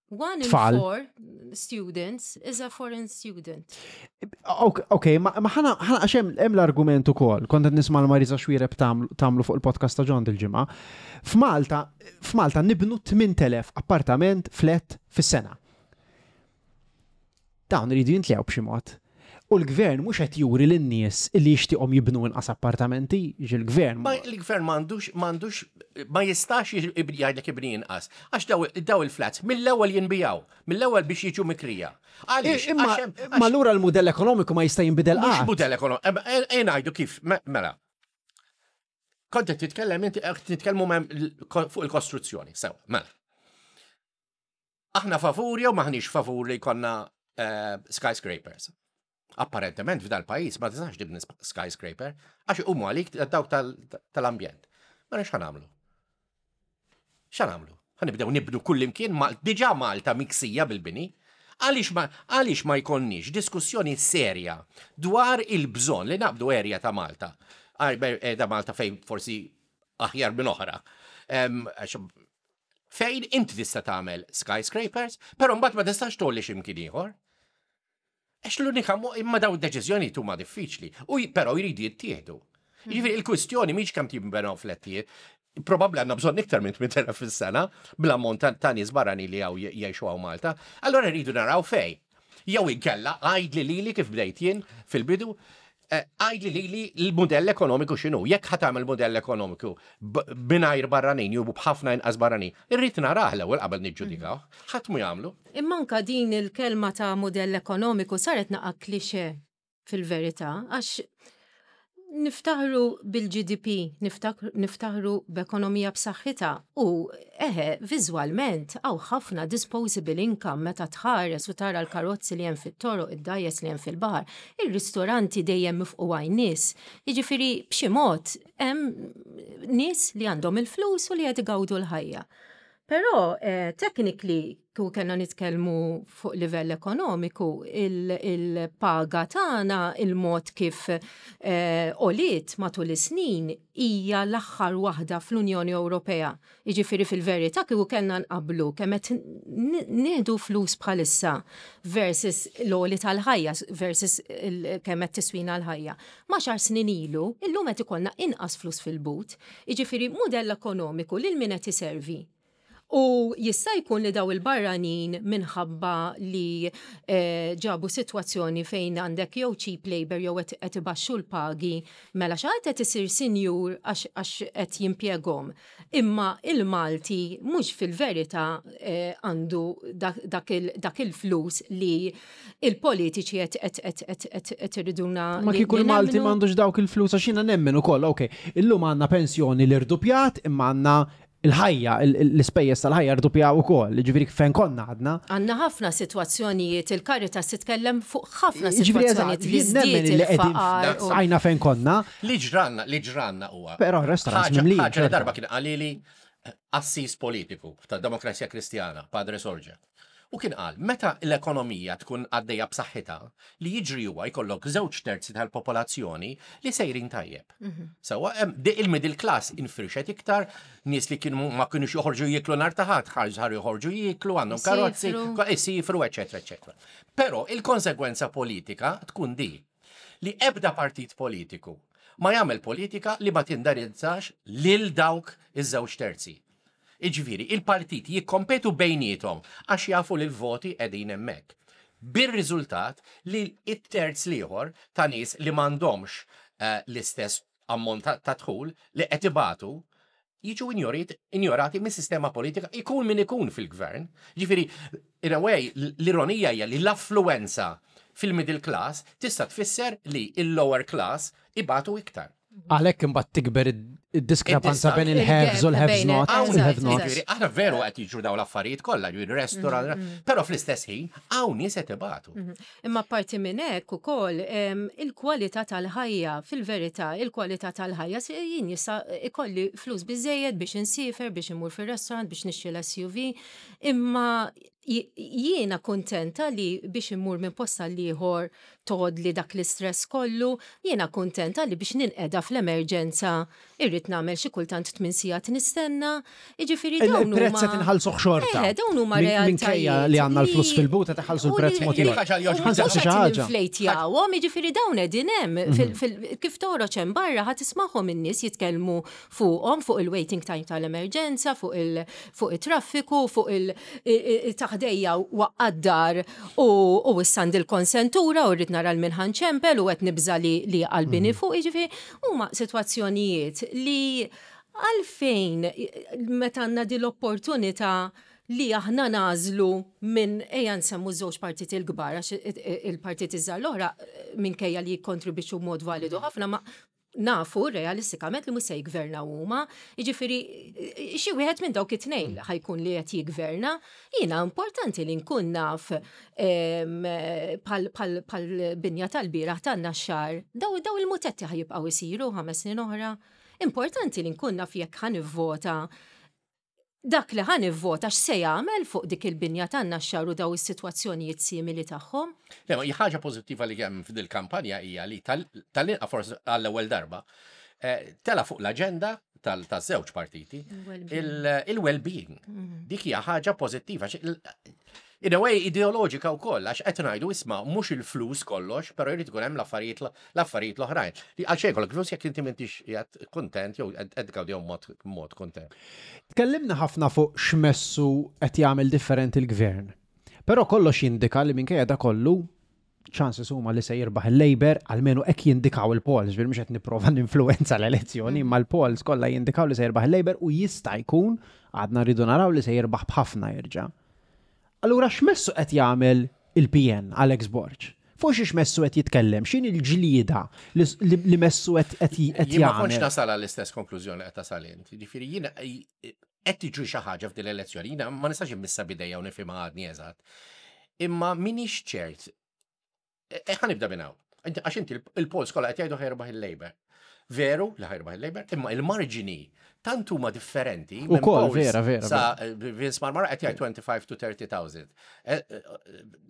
One in four students is a foreign student. Ok, ma ħana għax hemm l-argument ukoll, kont qed nisma' l-Marisa Xwireb tagħmlu fuq il-podcast ta' John dil-ġimgħa. F'Malta, f'Malta nibnu 8000 appartament flat fis-sena. Dawn iridu jintlew b'xi mod. U l-gvern mhux qed juri lin-nies li jixtieqhom jibnu inqas appartamenti, jiġi l-gvern. Ma l-gvern m'għandux m'għandux ma jistax jgħidlek ibni inqas. Għax daw il-flats mill-ewwel jinbijaw, mill-ewwel biex jiġu mikrija. Għaliex? Imma allura l-mudell ekonomiku ma jista' jinbidel qatt. Mhux mudell ekonomiku, e ngħidu kif, mela. Kont qed titkellem inti qed nitkellmu fuq il-kostruzzjoni, sew, mela. Aħna favur jew maħniex favur li jkollna eh, skyscrapers? Apparentement f'dal pajjiż ma tistax tibni skyscraper għax iqumu għalik dawk tal-ambjent. Mela x'ħa nagħmlu? X'ħa nagħmlu? Ħa nibdew nibnu kullimkien diġà Malta miksija bil-bini. Għaliex ma, għaliex ma jkollniex diskussjoni serja dwar il-bżonn li naqbdu area ta' Malta, ta' Malta fejn forsi aħjar minn oħra. Fejn inti tista' tagħmel skyscrapers, però mbagħad ma tistax tgħolli x'imkien ieħor. Għax l-unika imma daw id-deċiżjonijiet huma diffiċli, u però jridu jittieħdu. Jiġifieri il-kwistjoni mhix kemm jinbnew flettijiet, probabbli għandna bżonn iktar minn 8000 fis-sena bl-ammont ta' nies barranin li hawn jgħixu hawn Malta. Allura rridu naraw fejn. Jew inkella għidli lili kif bdejt jien fil-bidu, eh, għidli lili l-mudell ekonomiku x'inhu. Jekk ħa tagħmel mudell ekonomiku mingħajr barranin jew b'ħafna inqas barranin, irrid narah l-ewwel qabel niġġudikaw. Ħadd mu jagħmlu. Imma anka din il-kelma ta' mudell ekonomiku saret naqa' klixe fil-verità għax niftaħru bil-GDP, niftaħru b'ekonomija b'saħħitha u eħe, viżwalment hawn ħafna disposable income meta tħares u tara l-karozzi li hemm fit-toroq, id-dgħajjes li hemm fil-baħar, ir-ristoranti dejjem mifqugħin nies. Jiġifieri b'xi mod hemm nies li għandhom il-flus u li qed igawdu l-ħajja. Però eh, technically kieku kellna nitkellmu fuq livell ekonomiku, il-paga tagħna, il-mod kif eh, għoliet matul is-snin hija l-aħħar waħda fl-Unjoni Ewropea. Jiġifieri fil-verità kieku kellna nqabblu kemm qed nieħdu flus bħalissa versus l-għoli tal-ħajja versus kemm qed tiswina l-ħajja. M'għaxar snin ilu, illum qed ikollna inqas flus fil-but. Jiġifieri mudell ekonomiku lil min qed iservi? U jista' jkun li daw il-barranin minħabba li eh, ġabu sitwazzjoni fejn għandek jew cheap labor jew qed ibaxxu l-pagi, mela xi ħadd qed isir sinjur għax qed jimpjegahom. Imma il-Malti mhux fil-verità eh, għandu dak il-flus li il-politiċi qed iriduna. Ma kieku l-Malti m'għandux dawk il-flus għax jiena nemmen ukoll, ok, illum għandna pensjoni li rdupjat imma għandna il-ħajja, l-ispejjeż tal-ħajja rdupjaw ukoll, ġifieri fejn konna għadna. Għandna ħafna sitwazzjonijiet, il-Caritas titkellem fuq ħafna sitwazzjonijiet li żdied il-faqar. Għajna fejn konna. Li ġranna, li ġranna huwa. Però restaurants mimlijin. Ħaġa li darba kien qalili assis politiku tad-Demokrazija Kristjana, Padre Sorge. U kien qal, meta l-ekonomija tkun għaddejja b'saħħitha, li jiġri huwa jkollok żewġ terzi tal-popolazzjoni li sejrin tajjeb. Mhm. Sewwa, il-middle class infirxet iktar, nies li kienu ma kienux joħorġu jieklu nhar ta' ħadd, ħarġu joħorġu jieklu, għandhom karozzi, isifru, eċetera, eċetera. Però il-konsegwenza politika tkun di li ebda partit politiku ma jagħmel politika li ma tindarizzax lil dawk iż-żewġ terzi. Jiġifieri, il-partiti jikkompetu bejniethom għax jafu li l-voti qegħdin hemmhekk. Bir-riżultat li t-terz l-ieħor ta' nies li m'għandhomx l-istess ammont ta' dħul li qed ibatu jiġu injorati mis-sistema politika ikun min ikun fil-gvern. Jiġifieri, in a way, l-ironija hija li l-affluwenza fil-middle class tista' tfisser li l-lower class ibatu iktar. Għalhekk imbagħad tikber Id-diskrepanza bejn il-haves u l-haves not. Il-have not. Aħna veru qed jiġru dawn l-affarijiet kollha, ġifieri restaurant, però fl-istess ħin hawn nies qed ibatu. Imma parti minn hekk ukoll il-kwalità tal-ħajja, fil-verità, il-kwalità tal-ħajja jien jista' ikolli flus biżejjed biex insiefer, biex immur fir-restaurant, biex nixtri l-SUV, imma jiena kuntenta li biex immur minn post għal ieħor tgħoddli dak l-istress kollu, jiena kuntenta li biex ninqeda fl-emerġenza irrid nagħmel xi kultant tminn sigħat nistenna, jiġifieri dawn huma. Il-prezz qed inħallsuh xorta. Eħe, dawn huma realtajiet. Minkejja li għandna l-flus fil-but qed iħallsu l-prezz mod ieħor. Ħa nsaqsi xi ħaġa. Ninflejtjawhom, jiġifieri dawn qegħdin hemm kif toħroġ hemm barra ħa tismagħhom in-nies jitkellmu fuqhom, fuq il-waiting time tal-emerġenza, fuq il fuq it-traffiku, fuq il-taħdejja waqqa' d-dar u issa għandi l-konsentura u rrid nara l-min ħa nċempel u qed nibża' li li qalbini fuq, jiġifieri huma sitwazzjonijiet li għalfejn meta għandna din l-opportunità li aħna nagħżlu minn ejja nsemmu ż-żewġ partiti l-kbar għax il-partiti ż-żgħar l-oħra minkejja li jikkontribwixxu b'mod validu ħafna ma nafu realistikament li mhux se jigvernaw huma, jiġifieri xi wieħed minn dawk it-tnejn ħa jkun li qed jigverna. Jiena importanti li nkun naf bħal binja tal-bieraħ tan-Naxxar, daw il-mutetti ħa jibqgħu jsiru 5 snin oħra. Importanti li nkun naf jekk ħa nivvota dak li ħa nivvota x'se jagħmel fuq dik il-binja tan-Naxxar u daw is-sitwazzjonijiet simili tagħhom. Le, ma ħaġa pożittiva li hemm f'dil kampanja hija li tal-inqa forsi għall-ewwel darba tela fuq l-aġenda tal-żewġ partiti il-well-being. Dik hija ħaġa pożittiva. In a way ideoloġika wkoll għax qed ngħidu isma' mhux il-flus kollox, però jrid ikun hemm l-affarijiet l-affarijiet l-oħrajn. Li għal xejn kollok flus jekk inti m'intix qiegħed kuntent jew qed tgawdihom mod kuntent. Tkellimna ħafna fuq x'messu qed jagħmel differenti l-gvern. Però kollox jindika li minkejja da kollu chances huma li se jirbaħ il-Labour, almenu hekk jindikaw il-polls, ġifieri mhux qed nipprova ninfluwenza l-elezzjoni, imma l-polls kollha jindikaw li se jirbaħ il-Labour u jista' jkun għadna rridu naraw li se jirbaħ b'ħafna jerġa'. Allura x'messu qed jagħmel il-PN, Alex Borg? Fuq xiex messu qed jitkellem, x'inhi l-ġlieda li messu qed Jien ma kontx jagħmel? nasal għall-istess konklużjoni qed tasal int. Ġifieri jiena qed tiġri xi ħaġa f'din l-elezzjoni, jiena ma nistax immissa bidejja u nifhimha għadni eżatt. Imma minix ċert. Ħa nibda minn hawn. Għax inti il-polls kollha qed jgħidu ħa jirbaħ il-Labour. Veru li ħa jirbaħ il-Labour, imma il-marġini tant huma differenti. minn Ukoll, polls vera, vera, Sa Vince Marmara qed jgħid 25 to 30,000.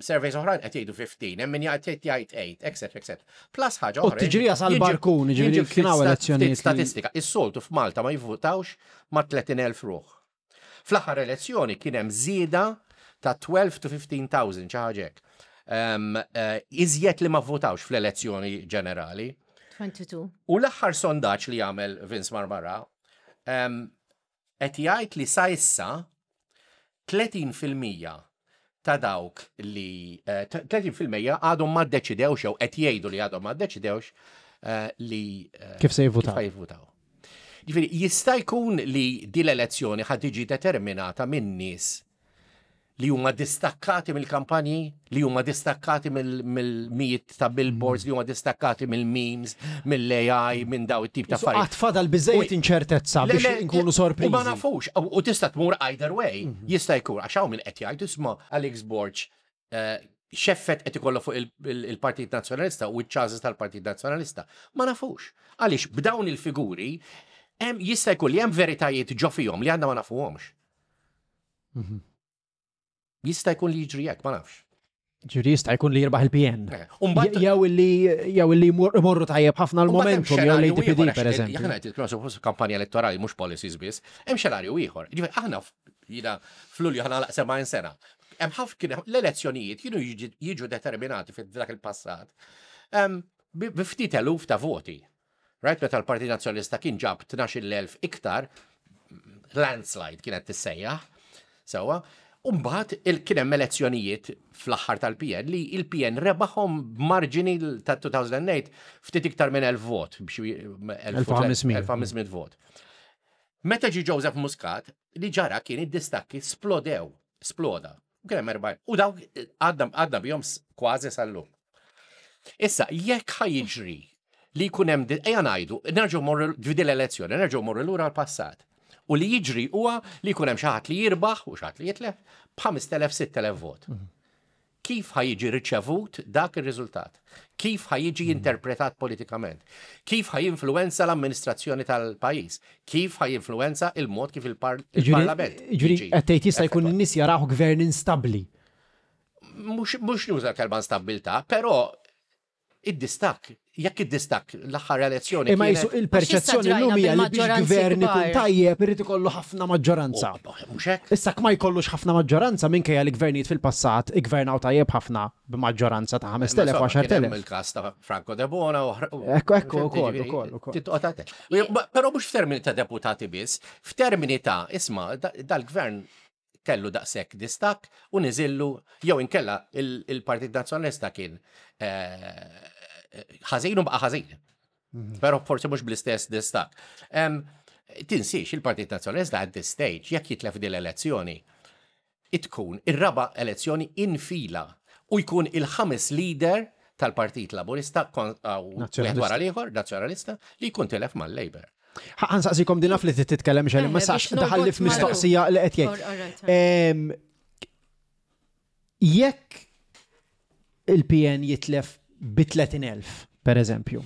Surveys oħrajn qed jgħidu 15, hemm min jgħid jgħid 8, etc. etc. Plus ħaġa U oħra. t-tiġrija sal-barkun, ġifieri jiġi kien hawn elezzjonijiet li- Statistika, is-soltu f'Malta ma jivvutawx ma' 30,000 ruħ. Fl-aħħar elezzjoni kien hemm żieda ta' 12 to 15,000 xi ħaġa hekk. Iżjed li ma vvotawx fl-elezzjoni ġenerali. 22. U l-aħħar sondaġġ li jagħmel Vince Marmara qed jgħid li sa issa 30% ta' dawk li 30% għadhom ma ddeċidewx jew qed jgħidu li għadhom ma ddeċidewx li Kif se jivvutaw. Kif jivvutaw. Ġifieri jista' jkun li din l-elezzjoni ħad tiġi determinata minn nies li huma distakkati mill-kampanji, li huma distakkati mill-mijiet ta' billboards, li huma distakkati mill-memes, mill-AI, minn daw it-tip ta' affarijiet. Għad fadal biżejjed inċertezza Le, biex le, nkunu U ma sorpriżi. nafux, u tista' tmur either way, jista' jkun, għax hawn min qed jgħid isma' Alex Borg x'effett qed ikollu fuq il-Partit Nazzjonalista u ċ-chances tal-Partit Nazzjonalista. Ma nafux. Għaliex b'dawn il-figuri hemm jista' jkun li hemm veritajiet ġo fihom li għandna ma nafuhomx. Jista' jkun li jiġri hekk, ma nafx. Ġifieri jista' jkun li jirbaħ il-PN. U mbagħad- Jew illi jmorru tajjeb ħafna l-momentum, jew l-ADPD per eżempju. Aħna qed nitkellmu suppost kampanja elettorali mhux policies biss, hemm xenarju ieħor. Ġifieri aħna jiena f'Lulju ħa nagħlaq 70 sena. Hemm ħafna kien l-elezzjonijiet kienu jiġu determinati f'dak il-passat bi ftit eluf ta' voti. Right, meta l-Partit Nazzjonalista kien ġab 12,000 iktar, landslide kienet tissejjaħ, sewwa, U mbagħad kien hemm elezzjonijiet fl-aħħar tal-PN li il-PN rebaħhom b'marġini ta' 2008 ftit iktar minn 1000 vot, b'xi 1500. 1500 vot. Meta ġi Joseph Muscat, li ġara kien id-distakki splodew, sploda. U kien hemm U dawk għadna bihom kważi sal-lum. Issa, jekk ħa jiġri li jkun hemm ejja ngħidu, nerġgħu morru f'din l-elezzjoni, nerġgħu morru lura l-passat. U li jiġri huwa li jkun hemm xi ħadd li jirbaħ u xi ħadd li jitlef b'5000 6000 vot. Kif ħa jiġi riċevut dak ir-riżultat? Kif ħa jiġi interpretat politikament? Kif ħa jinfluwenza l-amministrazzjoni tal-pajjiż? Kif ħa jinfluwenza il-mod kif il-Parlament? Ġifieri qed tgħid jista' jkun in-nies jaraw gvern instabbli. Mhux nuża kelma instabbiltà, però id-distakk, jekk id-distakk l-aħħar elezzjoni. Imma jisu il-perċezzjoni llum hija li biex gvern ikun tajjeb irid ikollu ħafna maġġoranza. Mhux hekk? Issa ma jkollux ħafna maġġoranza minkejja li gvernijiet fil-passat iggvernaw tajjeb ħafna b'maġġoranza ta' 5000 u 10,000. Il-każ ta' Franco Debono u Ekku, ekku, ukoll, ukoll, ukoll. Però mhux f'termini ta' deputati biss, f'termini ta' isma' dal-gvern kellu daqshekk distakk u niżillu jew inkella il-Partit Nazzjonalista kien eh, ħażin u baqa' ħażin. Mhm. Però forsi mhux bl-istess distakk. Tinsiex il-Partit Nazzjonalista at this stage jekk jitlef din l-elezzjoni tkun ir-raba' elezzjoni infila u jkun il-ħames leader tal-Partit Laburista wieħed wara l-ieħor, Nazzjonalista, li jkun tilef mal-Labour. Ħa nsaqsikom din naf li titkellem xejn, ma sax daħalli f'mistoqsija li qed jgħid. Jekk il-PN jitlef bi 30,000, per eżempju.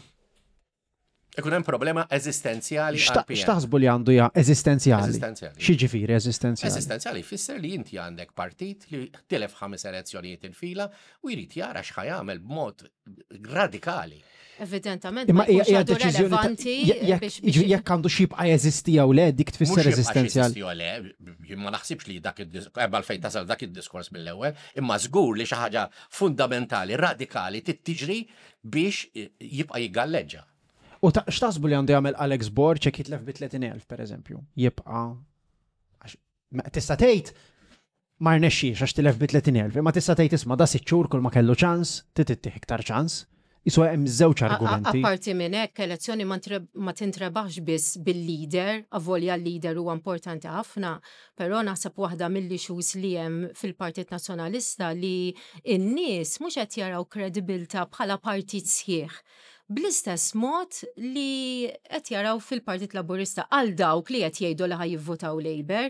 Ikun hemm problema eżistenzjali. X'taħsbu li għandu ja eżistenzjali? Eżistenzjali. X'jiġifieri eżistenzjali? Eżistenzjali jfisser li inti għandek partit li tilef ħames elezzjonijiet infila u jrid jara x'ħa jagħmel b'mod radikali. Evidentament, ma hija deċiżjoni jekk għandu xibqa jeżisti jew le dik tfisser eżistenzjali. Jew le, ma naħsibx li dak id-diskors, fejn tasal dak id-diskors mill-ewwel, imma żgur li xi ħaġa fundamentali, radikali trid tiġri biex jibqa' jiggalleġġa. U x'taħsbu li għandu jagħmel Alex Borg jekk jitlef bi 30,000 pereżempju? Jibqa' tista' tgħid ma rnexxiex għax tilef bi 30,000, imma tista' tgħid isma' da sitt xhur kull ma kellu ċans, trid ittih iktar ċans. Isu hemm żewġ argumenti. Apparti minn hekk, elezzjoni ma tintrebaħx biss bil-leader, avolja l-leader huwa importanti ħafna, però naħseb waħda mill-issues li hemm fil-Partit Nazzjonalista li n-nies mhux qed jaraw kredibilità bħala partit sħiħ. Bl-istess mod li qed jaraw fil-Partit Laburista għal dawk li qed jgħidu li ħa jivvotaw Labour,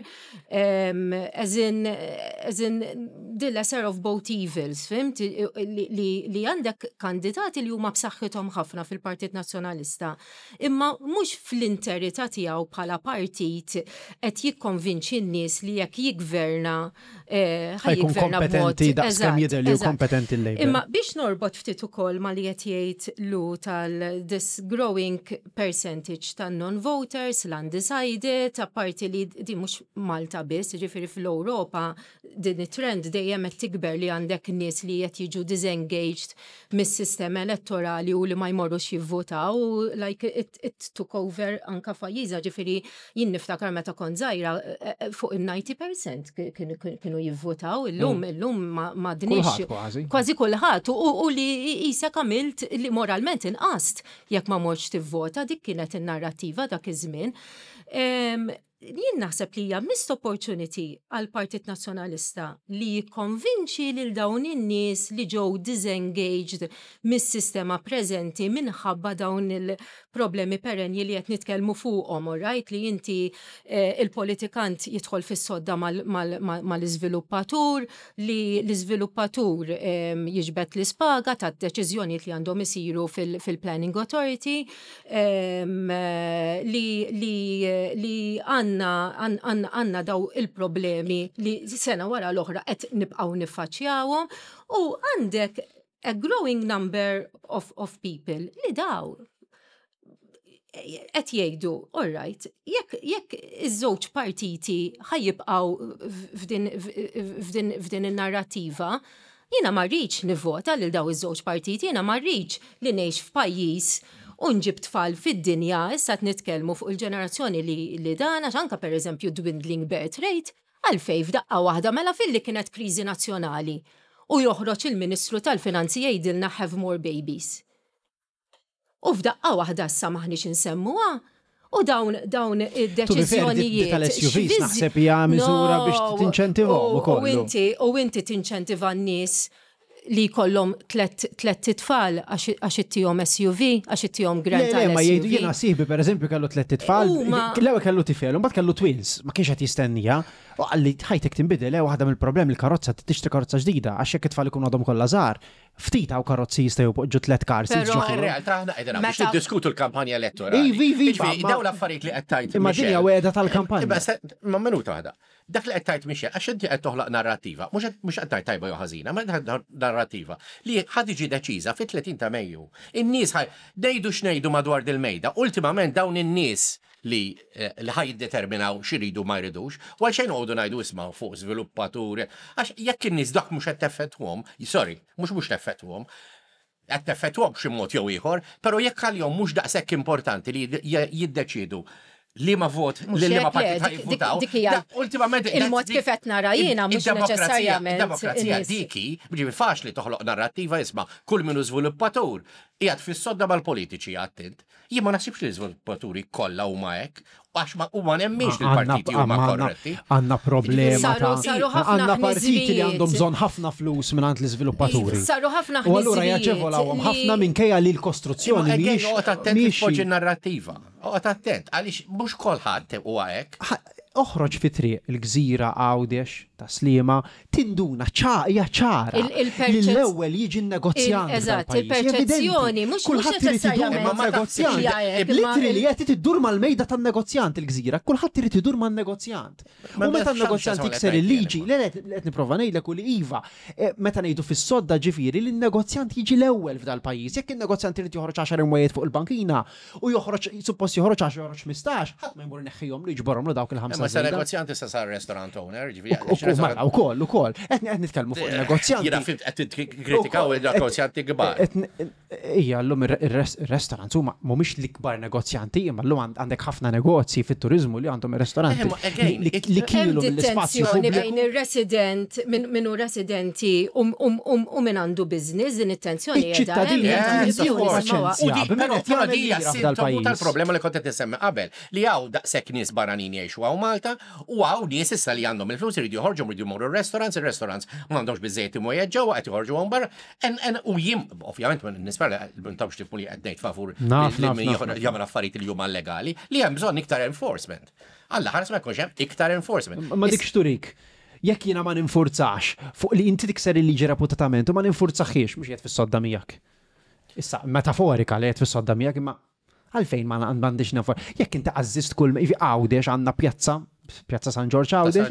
as in, as in the lesser of both evils, fhimt? Li, li, li għandek kandidati li huma b'saħħithom ħafna fil-Partit Nazzjonalista, imma mhux fl-interità tiegħu bħala partit qed jikkonvinċi n-nies li jekk jiggverna ħa jkun kompetenti daqskemm jidher li hu kompetenti l-Labour. Imma biex norbot ftit ukoll ma li qed jgħid lu tal this growing percentage tan non-voters, l-undecided, apparti li di mhux Malta biss, ġifieri fl-Ewropa din it-trend dejjem qed tikber li għandek nies li qed jiġu disengaged mis-sistema elettorali u li ma jmorrux jivvotaw, like it, it took over anka f'pajjiżna, ġifieri jien niftakar meta kont żgħira fuq il-90% kienu jivvotaw, illum illum ma dnix. Kważi. Kważi kulħadd u li qisek għamilt li moralment inqast jekk ma mortx tivvota, dik kienet in-narrattiva dak iż-żmien. Jien naħseb li hija missed opportunity għal Partit Nazzjonalista li jikkonvinċi lil dawn in-nies li ġew disengaged mis-sistema preżenti minħabba dawn il-problemi perenji li qed nitkellmu fuqhom, right? Li inti il-politikant jidħol fis-sodda mal-iżviluppatur, li l-iżviluppatur jiġbed l-ispaga ta' deċiżjonijiet li għandhom isiru fil-Planning Authority, li għandna daw il-problemi li sena wara l-oħra qed nibqgħu niffaċċjawhom u għandek a growing number of people li daw qed jgħidu, all right, jekk iż-żewġ partiti ħa jibqgħu f'din in-narrativa, jiena ma rridx nivvota lil daw iż-żewġ partiti, jiena ma rridx li ngħix f'pajjiż u nġib tfal fid-dinja, issa qed nitkellmu fuq il-ġenerazzjoni li dan, għax anka pereżempju dwindling birth rate, għalfej f'daqqa waħda mela filli kienet kriżi nazzjonali u joħroġ il-Ministru tal-Finanzi jgħidilna have more babies. U f'daqqa waħda issa maħniex insemmuha, u dawn id-deċiżjonijiet. Tal-SUVs naħseb hija miżura biex tinċentivhom ukoll. U inti tinċentiva n-nies. li jkollhom tlett itfal għax ittihom SUV, għax ittihom grant għal SUV. Ma jgħidu jiena sieħbi pereżempju kellu tlett itfal, l-ewwel kellu tifel, u mbagħad kellu twins, ma kienx qed jistennija. U qalli ħajtek tinbidel, eh, waħda mill-problemi l-karozza tixtri karozza ġdida għax jekk it-tfal ikunu għadhom kollha żgħar, ftit hawn karozzi jistgħu jpoġġu tliet cars. Però in realtà aħna qegħdin biex niddiskutu l-kampanja elettorali. Ivi, ivi, dawn l-affarijiet li qed tgħid. Imma din hija wegħda tal-kampanja. Ma minuta waħda. Dak li qed tgħid Michelle, għax inti qed toħloq narrattiva, mhux qed tgħid tajba jew ħażina, ma narrattiva li ħa tiġi deċiża fit-30 ta' Mejju. In-nies ħa ngħidu x'ngħidu madwar dil-mejda, ultimament dawn in-nies li li ħa jiddeterminaw x'iridu u ma jridux, u għalxejn noqogħdu ngħidu isma' fuq żviluppaturi, għax jekk in-nies dak mhux qed teffettwhom, sorry, mhux mhux teffettwhom, qed teffettwhom b'xi mod jew ieħor, però jekk għalihom mhux daqshekk importanti li jiddeċiedu liema vot lil liema partit ħa jivvutaw. Ultimament il-mod kif qed nara jiena mhux neċessarjament. Demokrazija dik hi, ġifieri faċli toħloq narrattiva isma' kull min hu żviluppatur qiegħed fis-sodda mal-politiċi għadt int. Jien ma naħsibx li l-iżviluppaturi kollha huma hekk, għax ma u ma nemminx li l-partiti huma korretti. Għandna problema ta' għandna partiti li għandhom bżonn ħafna flus mingħand l-iżviluppaturi. Saru ħafna U allura jaġevolawhom ħafna minkejja li l-kostruzzjoni mhijiex. Oqgħod attent li tpoġġi narrattiva. Oqgħod attent għaliex mhux kulħadd huwa hekk. Oħroġ fi triq il-Gżira Għawdex, Tas-Sliema, tinduna hija ċara li l-ewwel jiġi n-negozjant. Eżatt, il-perċezzjoni mhux kulħadd irid idur man-negozjant. Literally qed iddur mal-mejda tan-negozjant il-Gżira, kulħadd irid idur man-negozjant. U meta n-negozjant jikser il-liġi, le qed nipprova ngħidlek u li iva, meta ngħidu fis-sodda ġifieri li n-negozjant jiġi l-ewwel f'dal-pajjiż. Jekk in-negozjant irid joħroġ għaxar imwejjed fuq il-bankina, U joħroġ, suppost joħroġ għax joħroġ 15, ħadd ma jmur ineħħihomlu jiġborhomlu dawk il-ħamsa. Imma sa negozjant issa sar restaurant owner, ġifieri. Mela, ukoll, ukoll. Qed qed nitkellmu fuq il-negozjanti. Jiena fimt qed tikkritikaw il-negozjanti kbar. Ija, llum ir-restaurants huma mhumiex l-ikbar negozjanti, imma llum għandek ħafna negozji fit-turiżmu li għandhom ir-ristoranti li kielu mill-ispazju pubbliku. Bejn ir-resident, min hu residenti u min għandu business, din it-tensjoni. Iċ-ċittadini Però di hija sintomu tal-problema li kont qed insemmi qabel, li hawn daqshekk nies barranin jgħixu hawn Malta u hawn nies issa li għandhom il-flus iridu joħorġu jridu jmorru r-restaurants, ir-restaurants m'għandhomx biżżejjed imwejjed ġewwa qed joħorġu hawn barra. U jien ovvjament nispera li m'intomx tifhmu li qed ngħid favur li min jagħmel affarijiet li huma llegali, li hemm bżonn iktar enforcement. Alla ħares ma jkunx hemm iktar enforcement. Ma dik x'turik? Jekk jiena ma ninfurzax fuq li inti tikser il-liġi reputatament u ma ninfurzaħiex, mhux qiegħed fis-sodda miegħek. Issa, metaforika li qed fis-sodda miegħek imma għalfejn ma għandix nefor. Jekk inti għażżist kull ivi Għawdex għandna pjazza, pjazza San Ġorġ Għawdex,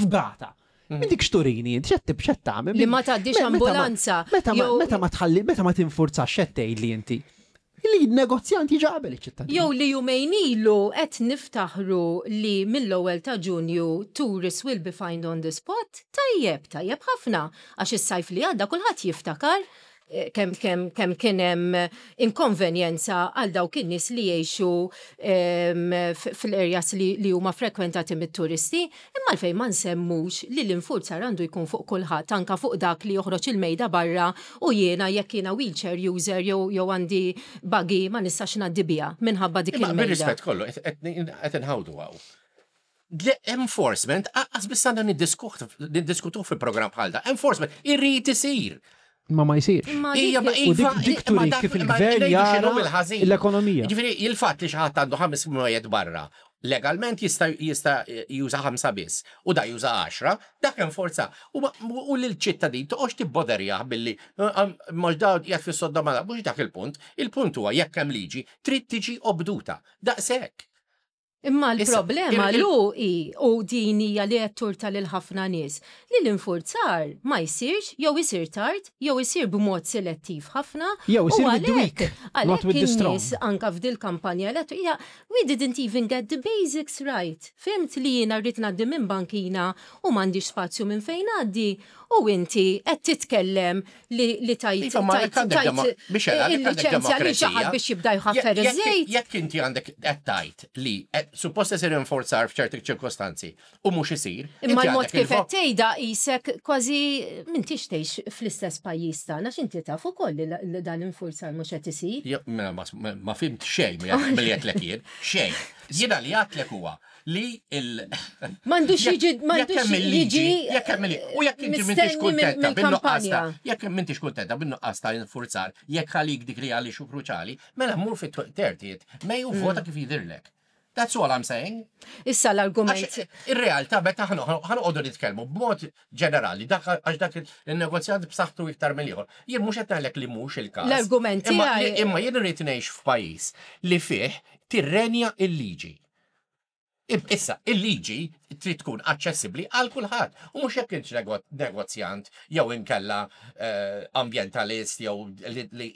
fgata. Mm. Minn dik xturini, xed tibxed tagħmel. Li ma tgħaddix ambulanza. Meta ma tħalli, meta ma tinfurzax xed tgħid li inti. Li negozjant jiġi qabel iċ-ċittadin. Jew li jumejn ilu qed niftaħru li mill-ewwel ta' Ġunju tourists will be fined on the spot, tajjeb, tajjeb ħafna, għax is-sajf li għadda kulħadd jiftakar kemm kemm kemm kien hemm inkonvenjenza għal dawk in-nies li jgħixu fl-areas li, li huma frekwentati mit-turisti, imma għalfejn ma nsemmux li l-infurzar għandu jkun fuq kulħadd anka fuq dak li joħroġ il-mejda barra u jiena jekk jiena wheelchair user jew jew għandi buggy ma nistax ngħaddi biha minħabba dik il-mejda. Bir-rispett kollu qed inħawdu hawn. Enforcement, aqqas biss għandna niddiskutuh fi programm bħal da. Enforcement irrid isir. Ma ma jsirx. Ija, ma U dik dik turi kif il-gvern jara l-ekonomija. Ġifieri il-fatt li xi ħadd għandu ħames mwejjed barra, legalment jista' jista' juża ħamsa biss u da juża għaxra, dak enforza. U lill-ċittadin toqgħodx tibboderjah billi mhux da qiegħed fis-sodda ma' mhux dak il-punt. Il-punt huwa jekk hemm liġi trid tiġi obduta. Daqshekk. Imma l-problema lu hi, u din hija li qed turta lil ħafna nies, li l-infurzar ma jsirx jew isir tard jew isir b'mod selettiv ħafna. Jew isir with the weak, not with the strong. Għalhekk in-nies anke f'dil-kampanja elettorali, we didn't even get the basics right. Fhimt li jiena rrid ngħaddi minn bankina u m'għandix spazju minn fejn ngħaddi u inti qed titkellem li tajt iva, il-liċenzja li xi ħadd biex jibda jħaffer iż-żejt. Jekk inti għandek qed tgħid li suppost isir inforzar f'ċerti ċirkostanzi u mhux isir. Imma l-mod kif qed tgħidha qisek kważi m'intix tgħix fl-istess pajjiż tagħna x'inti taf ukoll li dan l-infurzar mhux qed isir. Mela, ma fimt xejn milli għedtlek jien, xejn. Jiena li għedtlek huwa li il. M'għandux jiġi m'għandux jiġi. Jekk hemm u jekk inti m'intix kuntenta bin-nuqqas ta' jekk m'intix kuntenta bin-nuqqas ta' infurzar, jekk għalik dik li għaliex hu kruċali, mela mur fit-30 May u vota kif jidhirlek. That's all I'm saying. Issa l-argument. Ir-realtà meta ħanoqogħdu nitkellmu b'mod ġenerali, dak għax dak il-negozjant b'saħħtu iktar mill-ieħor. Jien mhux qed ngħidlek li mhux il-każ. L-argument Imma jien irrid ngħix f'pajjiż li fih tirrenja il-liġi. Issa, il-liġi trid tkun aċċessibbli għal kulħadd. U mhux jekk int negozjant jew inkella eh, ambjentalist jew li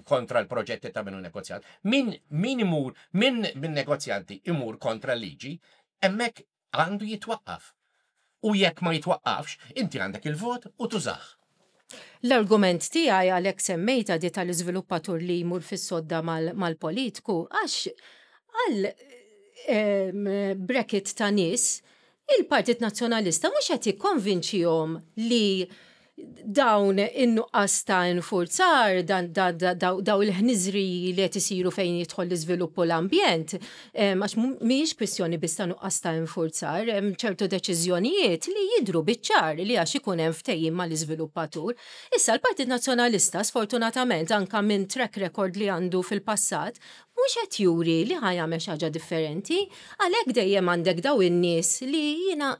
kontra l-proġetti ta' minnu negozjant. Min min imur min min negozjanti imur kontra l-liġi, hemmhekk għandu jitwaqqaf. U jekk ma jitwaqqafx, inti għandek il-vot u tużah. L-argument tiegħi għalhekk semmejtha di tal-iżviluppatur li jmur fis-sodda mal-politku għax għal bracket ta' nies il-Partit Nazzjonalista mhux qed jikkonvinċihom li dawn in-nuqqas ta' infurzar, daw il-ħniżriji li qed isiru fejn jidħol l-iżvilupp u l-ambjent, għax mhijiex kwistjoni biss ta' nuqqas ta' infurzar, hemm ċertu deċiżjonijiet li jidhru biċ-ċar li għax ikun hemm ftehim mal-iżviluppatur. Issa l-Partit Nazzjonalista sfortunatament anke minn track record li għandu fil-passat mhux qed juri li ħa jagħmel xi ħaġa differenti, għalhekk dejjem għandek dawn in-nies li jiena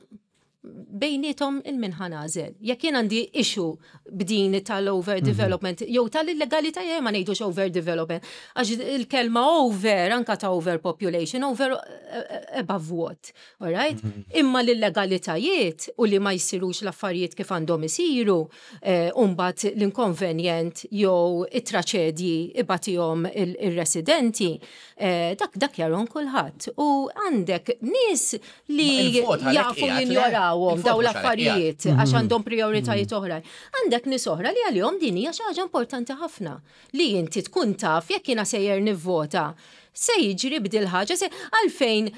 bejniethom il-min ħa nagħżel. Jekk jien għandi issue b'din tal-overdevelopment mhm. jew tal-illegalità jew ma ngħidux overdevelopment, għax il-kelma over anka ta' overpopulation, over eh, eh, above what, all right? Mhm. Imma l-illegalitajiet u li ma jsirux l-affarijiet kif għandhom isiru, eh, umbat l-inkonvenjent jew it-traċedji ibatihom il-residenti, dak dak jaron kulħadd. U għandek nies li jafu jinjorawhom daw l-affarijiet għax mhm. għandhom prioritajiet mhm. oħrajn. Għandek nies oħra li għalihom din hija xi ħaġa importanti ħafna li inti tkun taf jekk jiena sejjer nivvota se jiġri b'dil ħaġa se għalfejn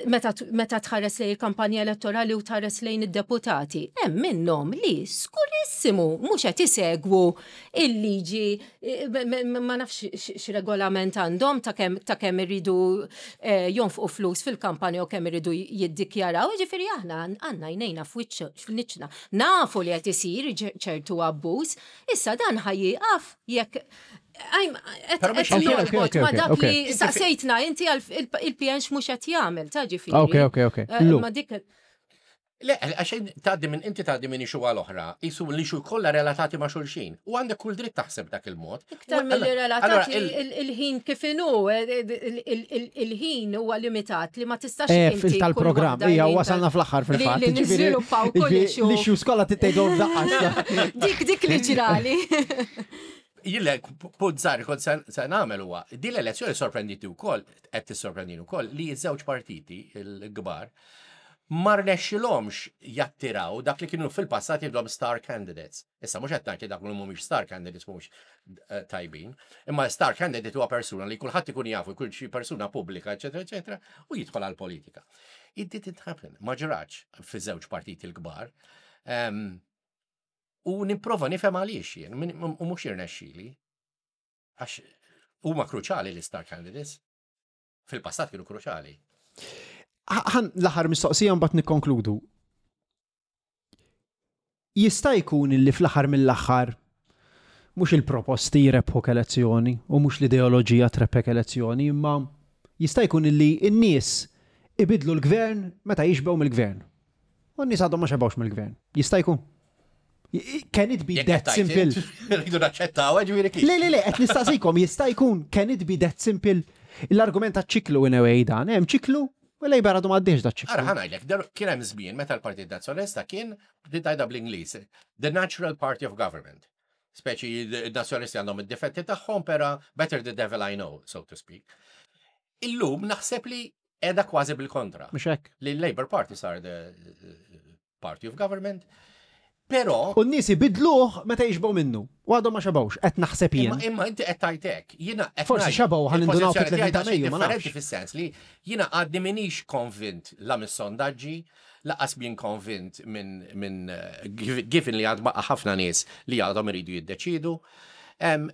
meta tħares lejn il-kampanja elettorali u tħares lejn id-deputati. Hemm minnhom li skurissimu mhux qed isegwu il-liġi ma nafx x'regolament għandhom ta' kemm ta' kemm iridu eh, jonfqu flus fil-kampanja u kemm iridu jiddikjaraw, jiġifieri aħna għandna jnejna f'wiċċna. Nafu li qed isir ċertu abbuż, issa dan ħa jieqaf jekk ma dak li saqsejtna inti il-PN x'mhux qed jagħmel, ta' ġifieri. Ok, ok, ok. Eh, ma dik Le, għax tgħaddi minn inti tgħaddi minn ixu għal oħra, jisu li xu kollha relatati ma' xulxin. U għandek kull dritt taħseb dak il-mod. Iktar milli relatati il-ħin kif inhu, il-ħin huwa limitat li ma tistax. Eh, fil-tal-programm, hija wasalna fl-aħħar fil-fatt. Li niżviluppaw kull issue. L-issues kollha titgħidhom f'daqqa. Dik dik li ġrali. Jillek, punt żgħar kont se nagħmel huwa, din l-elezzjoni sorprenditi wkoll, qed tissorprendini wkoll li ż-żewġ partiti l-kbar ma rnexxilhomx jattiraw dak li kienu fil-passat jgħidulhom star candidates. Issa mhux qed ngħid li dak li mhumiex star candidates mhumiex eh, tajbin, imma star candidate huwa persuna li kulħadd ikun jafu, jkun xi persuna pubblika, eċetera, eċetera, u jidħol għall politika It didn't happen, ma ġrax fi żewġ partiti l-kbar. Ehm, u nipprova nifhem għaliex jien, u mhux jirnexxili. Għax huma kruċali l-star candidates. Fil-passat kienu kruċali. Ħan l-aħħar mistoqsija mbagħad nikkonkludu. Jista' jkun li fl-aħħar mill-aħħar mhux il-proposti jrebħuk elezzjoni u mhux l-ideoloġija trebbħek elezzjoni, imma jista' jkun li n-nies ibidlu l-gvern meta jixbgħu mill-gvern. U n-nies għadhom ma xebgħux mill-gvern. Jista' jkun. Can it be that simple? Rridu naċċettaw, eh, ġifieri kif. Le, le, le, qed nistaqsikom, jista' jkun can it be that simple? L-argument ta' ċiklu in a way dan, hemm ċiklu u Labour għadu m'għaddiex da ċiklu. Ara ħa kien hemm żmien meta l-Partit Nazzjonalista kien bdiet bl-Ingliż, the natural party of government. Speċi il-nazzjonalisti għandhom id-difetti tagħhom, pera better the devil I know, so to speak. Illum naħseb li edha kważi bil-kontra. Mhux hekk. Li l-Labour Party sar the Party of Government. Però. U n-nies ibidluh meta jixbgħu minnu. U għadhom ma xebgħux, qed naħseb jien. Imma inti qed tgħid hekk. Jiena qed Forsi xebgħu ħa nindunaw fit-30 ta' Mejju, ma nafx. Differenti fis-sens li jiena għadni m'iniex konvint la mis-sondaġġi, lanqas mien konvint minn given li għad baqa' ħafna nies li għadhom iridu jiddeċiedu.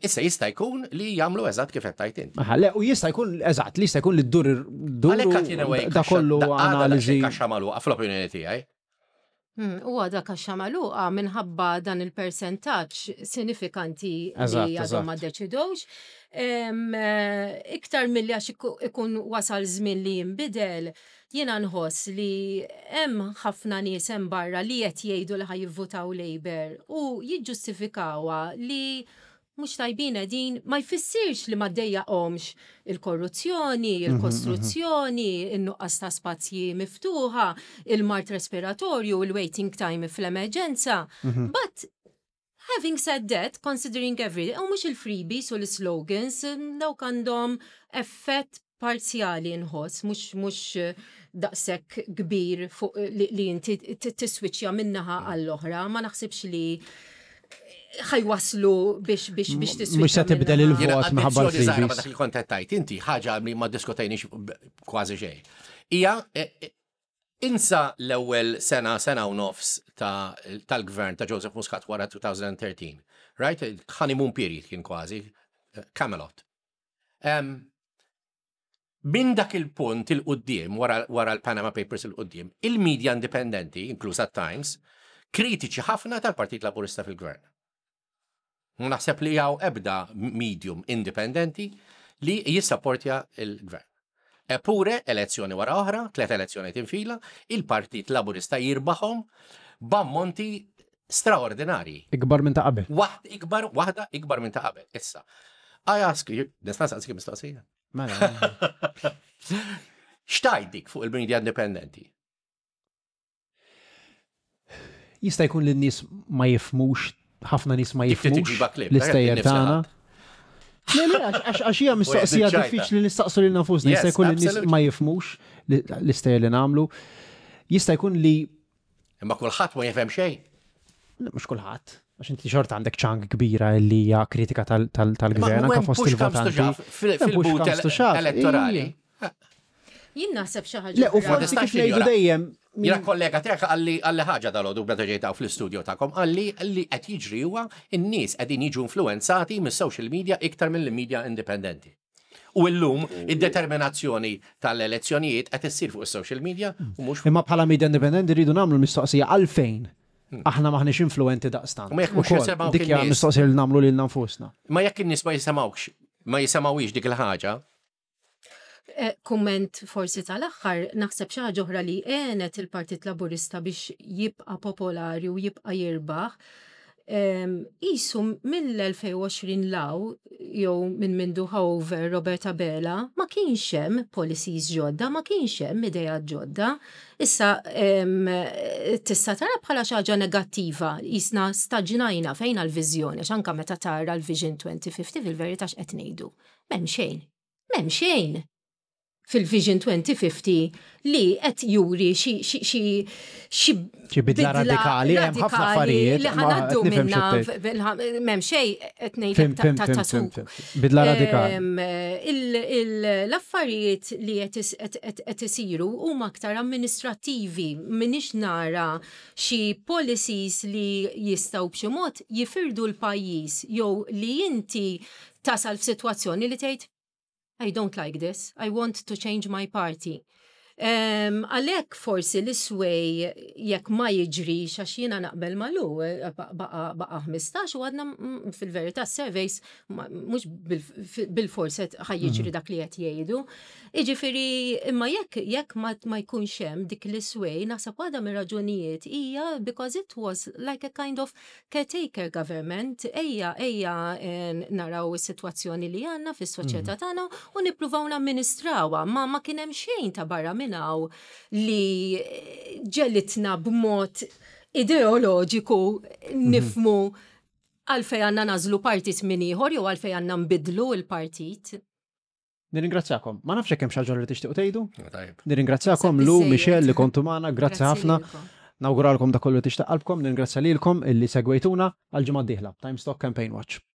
Issa jista' jkun li jagħmlu eżatt kif qed tgħid inti. Aha, le, u jista' jkun eżatt li jista' jkun li ddur dur da kollu analiżi. Kaxxa magħluqa fl-opinjoni tiegħi. Hmm, u għada kaxxa magħluqa minħabba dan il-percentaġġ sinifikanti li għadhom ma deċidowx. Eh, iktar milli għax ikun wasal żmien li jinbidel, jiena nħoss li hemm ħafna nies hemm barra li qed jgħidu li ħa jivvutaw Labour u jiġġustifikawha li mhux tajbin qegħdin ma jfissirx li ma ddejjaqhomx il-korruzzjoni, il-kostruzzjoni, in-nuqqas ta' spazji miftuħa, il-mard respiratorju, il-waiting time fl-emerġenza. But having said that, considering everything, u mhux il-freebies u l-slogans, dawk għandhom effett parzjali nħoss, mhux mhux daqshekk kbir fuq li, li inti tiswiċċja min-naħa għall-oħra, ma naħsibx li ħajwaslu biex biex biex tiswiċċja. Mhux se tibdel il-vot minħabba l-freebies. Dak li kont qed tgħid inti ħaġa li ma diskutejniex kważi xejn. Hija e, e, insa l-ewwel sena sena u nofs tal-gvern ta' Joseph Muscat wara 2013. Right? Honeymoon period kien kważi, Camelot. Minn dak il-punt il-quddiem, wara l-Panama Papers il-quddiem, il-media indipendenti, inklusa Times, kritiċi ħafna tal-Partit Laburista fil-gvern. Naħseb li hawn ebda medium indipendenti li jissapportja il-gvern. Eppure, elezzjoni wara oħra, tlet elezzjoni tinfila, il-Partit Laburista jirbaħhom b'ammonti straordinarji. Ikbar minn ta' qabel. Waħd ikbar, waħda ikbar minn ta' qabel. Issa. I ask you, nista' nsaqsik mistoqsija. Mela. X'tgħid dik fuq il-media indipendenti? Jista' jkun li n-nies ma jifhmux, ħafna nies ma jifhmux l-istejjer tagħna. Le, le, għax hija mistoqsija diffiċli nistaqsu lil nafusna, jista' jkun li n-nies ma jifhmux l-istejjer li nagħmlu. Jista' jkun li Imma kulħadd ma jifhem xejn. Mhux kulħadd. Għax inti xorta għandek ċang kbira li hija kritika tal-gvern anke fost il-votanti. Fil-but elettorali. Jien naħseb xi ħaġa. Le, u forsi kif ngħidu dejjem. Jiena kollega tiegħek qalli qalli ħaġa dalgħodu meta ġejt hawn fl-istudio tagħkom, qalli li qed jiġri huwa n-nies qegħdin jiġu influwenzati mis-social media iktar mill-media indipendenti. U llum id-determinazzjoni tal-elezzjonijiet qed issir fuq is-social media u mhux. Imma bħala media indipendenti rridu nagħmlu l-mistoqsija għalfejn aħna m'aħniex influwenti daqstant. Ma jekk mhux jisimgħu Dik hija mistoqsija li nagħmlu lilna nfusna. Ma jekk in-nies ma jisimgħukx, ma jisimgħuhiex dik il-ħaġa. Eh, kumment forsi tal-aħħar, naħseb xi ħaġa oħra li għenet il-Partit Laburista biex jibqa' popolari u jibqa' jirbaħ Isu mill-2020 law jew minn mindu over Robert Abela ma kienx hemm policies ġodda, ma kienx hemm ideat ġodda. Issa tista' tara bħala xi ħaġa negattiva, jisna staġnajna fejn għall-viżjoni, għax anke meta tara l-Vision 2050 fil-verità x'qed ngħidu. M'hemm xejn. M'hemm xejn. fil-Vision 2050 li qed juri xi xi xi bidla radikali, hemm ħafna affarijiet li ħanaddu minna m'hemm xejn qed ngħid ta' suq. Bidla radikali. L-affarijiet li qed isiru huma aktar amministrattivi, m'iniex nara xi policies li jistgħu b'xi mod jifirdu l-pajjiż jew li inti tasal f'sitwazzjoni li tgħid I don't like this, I want to change my party. Għalhekk forsi l-isway jekk ma jiġrix għax jiena naqbel malu eh, baqa 15 u għadna fil-verità surveys mhux bil-fors ħaj jiġri mhm. dak li qed jgħidu. Jiġifieri imma jekk jekk ma jkunx hemm dik l-isway naħseb waħda mir-raġunijiet hija because it was like a kind of caretaker government, ejja, ejja eh, naraw is-sitwazzjoni li għandna fis-soċjetà mhm. tagħna u nippruvaw namministrawha, ma ma kien hemm xejn ta' barra minn hawn li ġelitna b'mod ideoloġiku mhm. nifmu għalfej għandna nażlu partit minn ieħor jew għalfej għandna nbidlu l-partit. Nirringrazzjakom. Ma nafx hekk hemm xi ħaġa li tixtiequ tgħidu. Nirringrazzjakom Lu, Michelle li kontu magħna, grazzi ħafna. Nawguralkom dak kollu tixtaq qalbkom, ningrazzja lilkom illi segwejtuna għal ġimgħa d-dieħla. Times Talk Campaign Watch.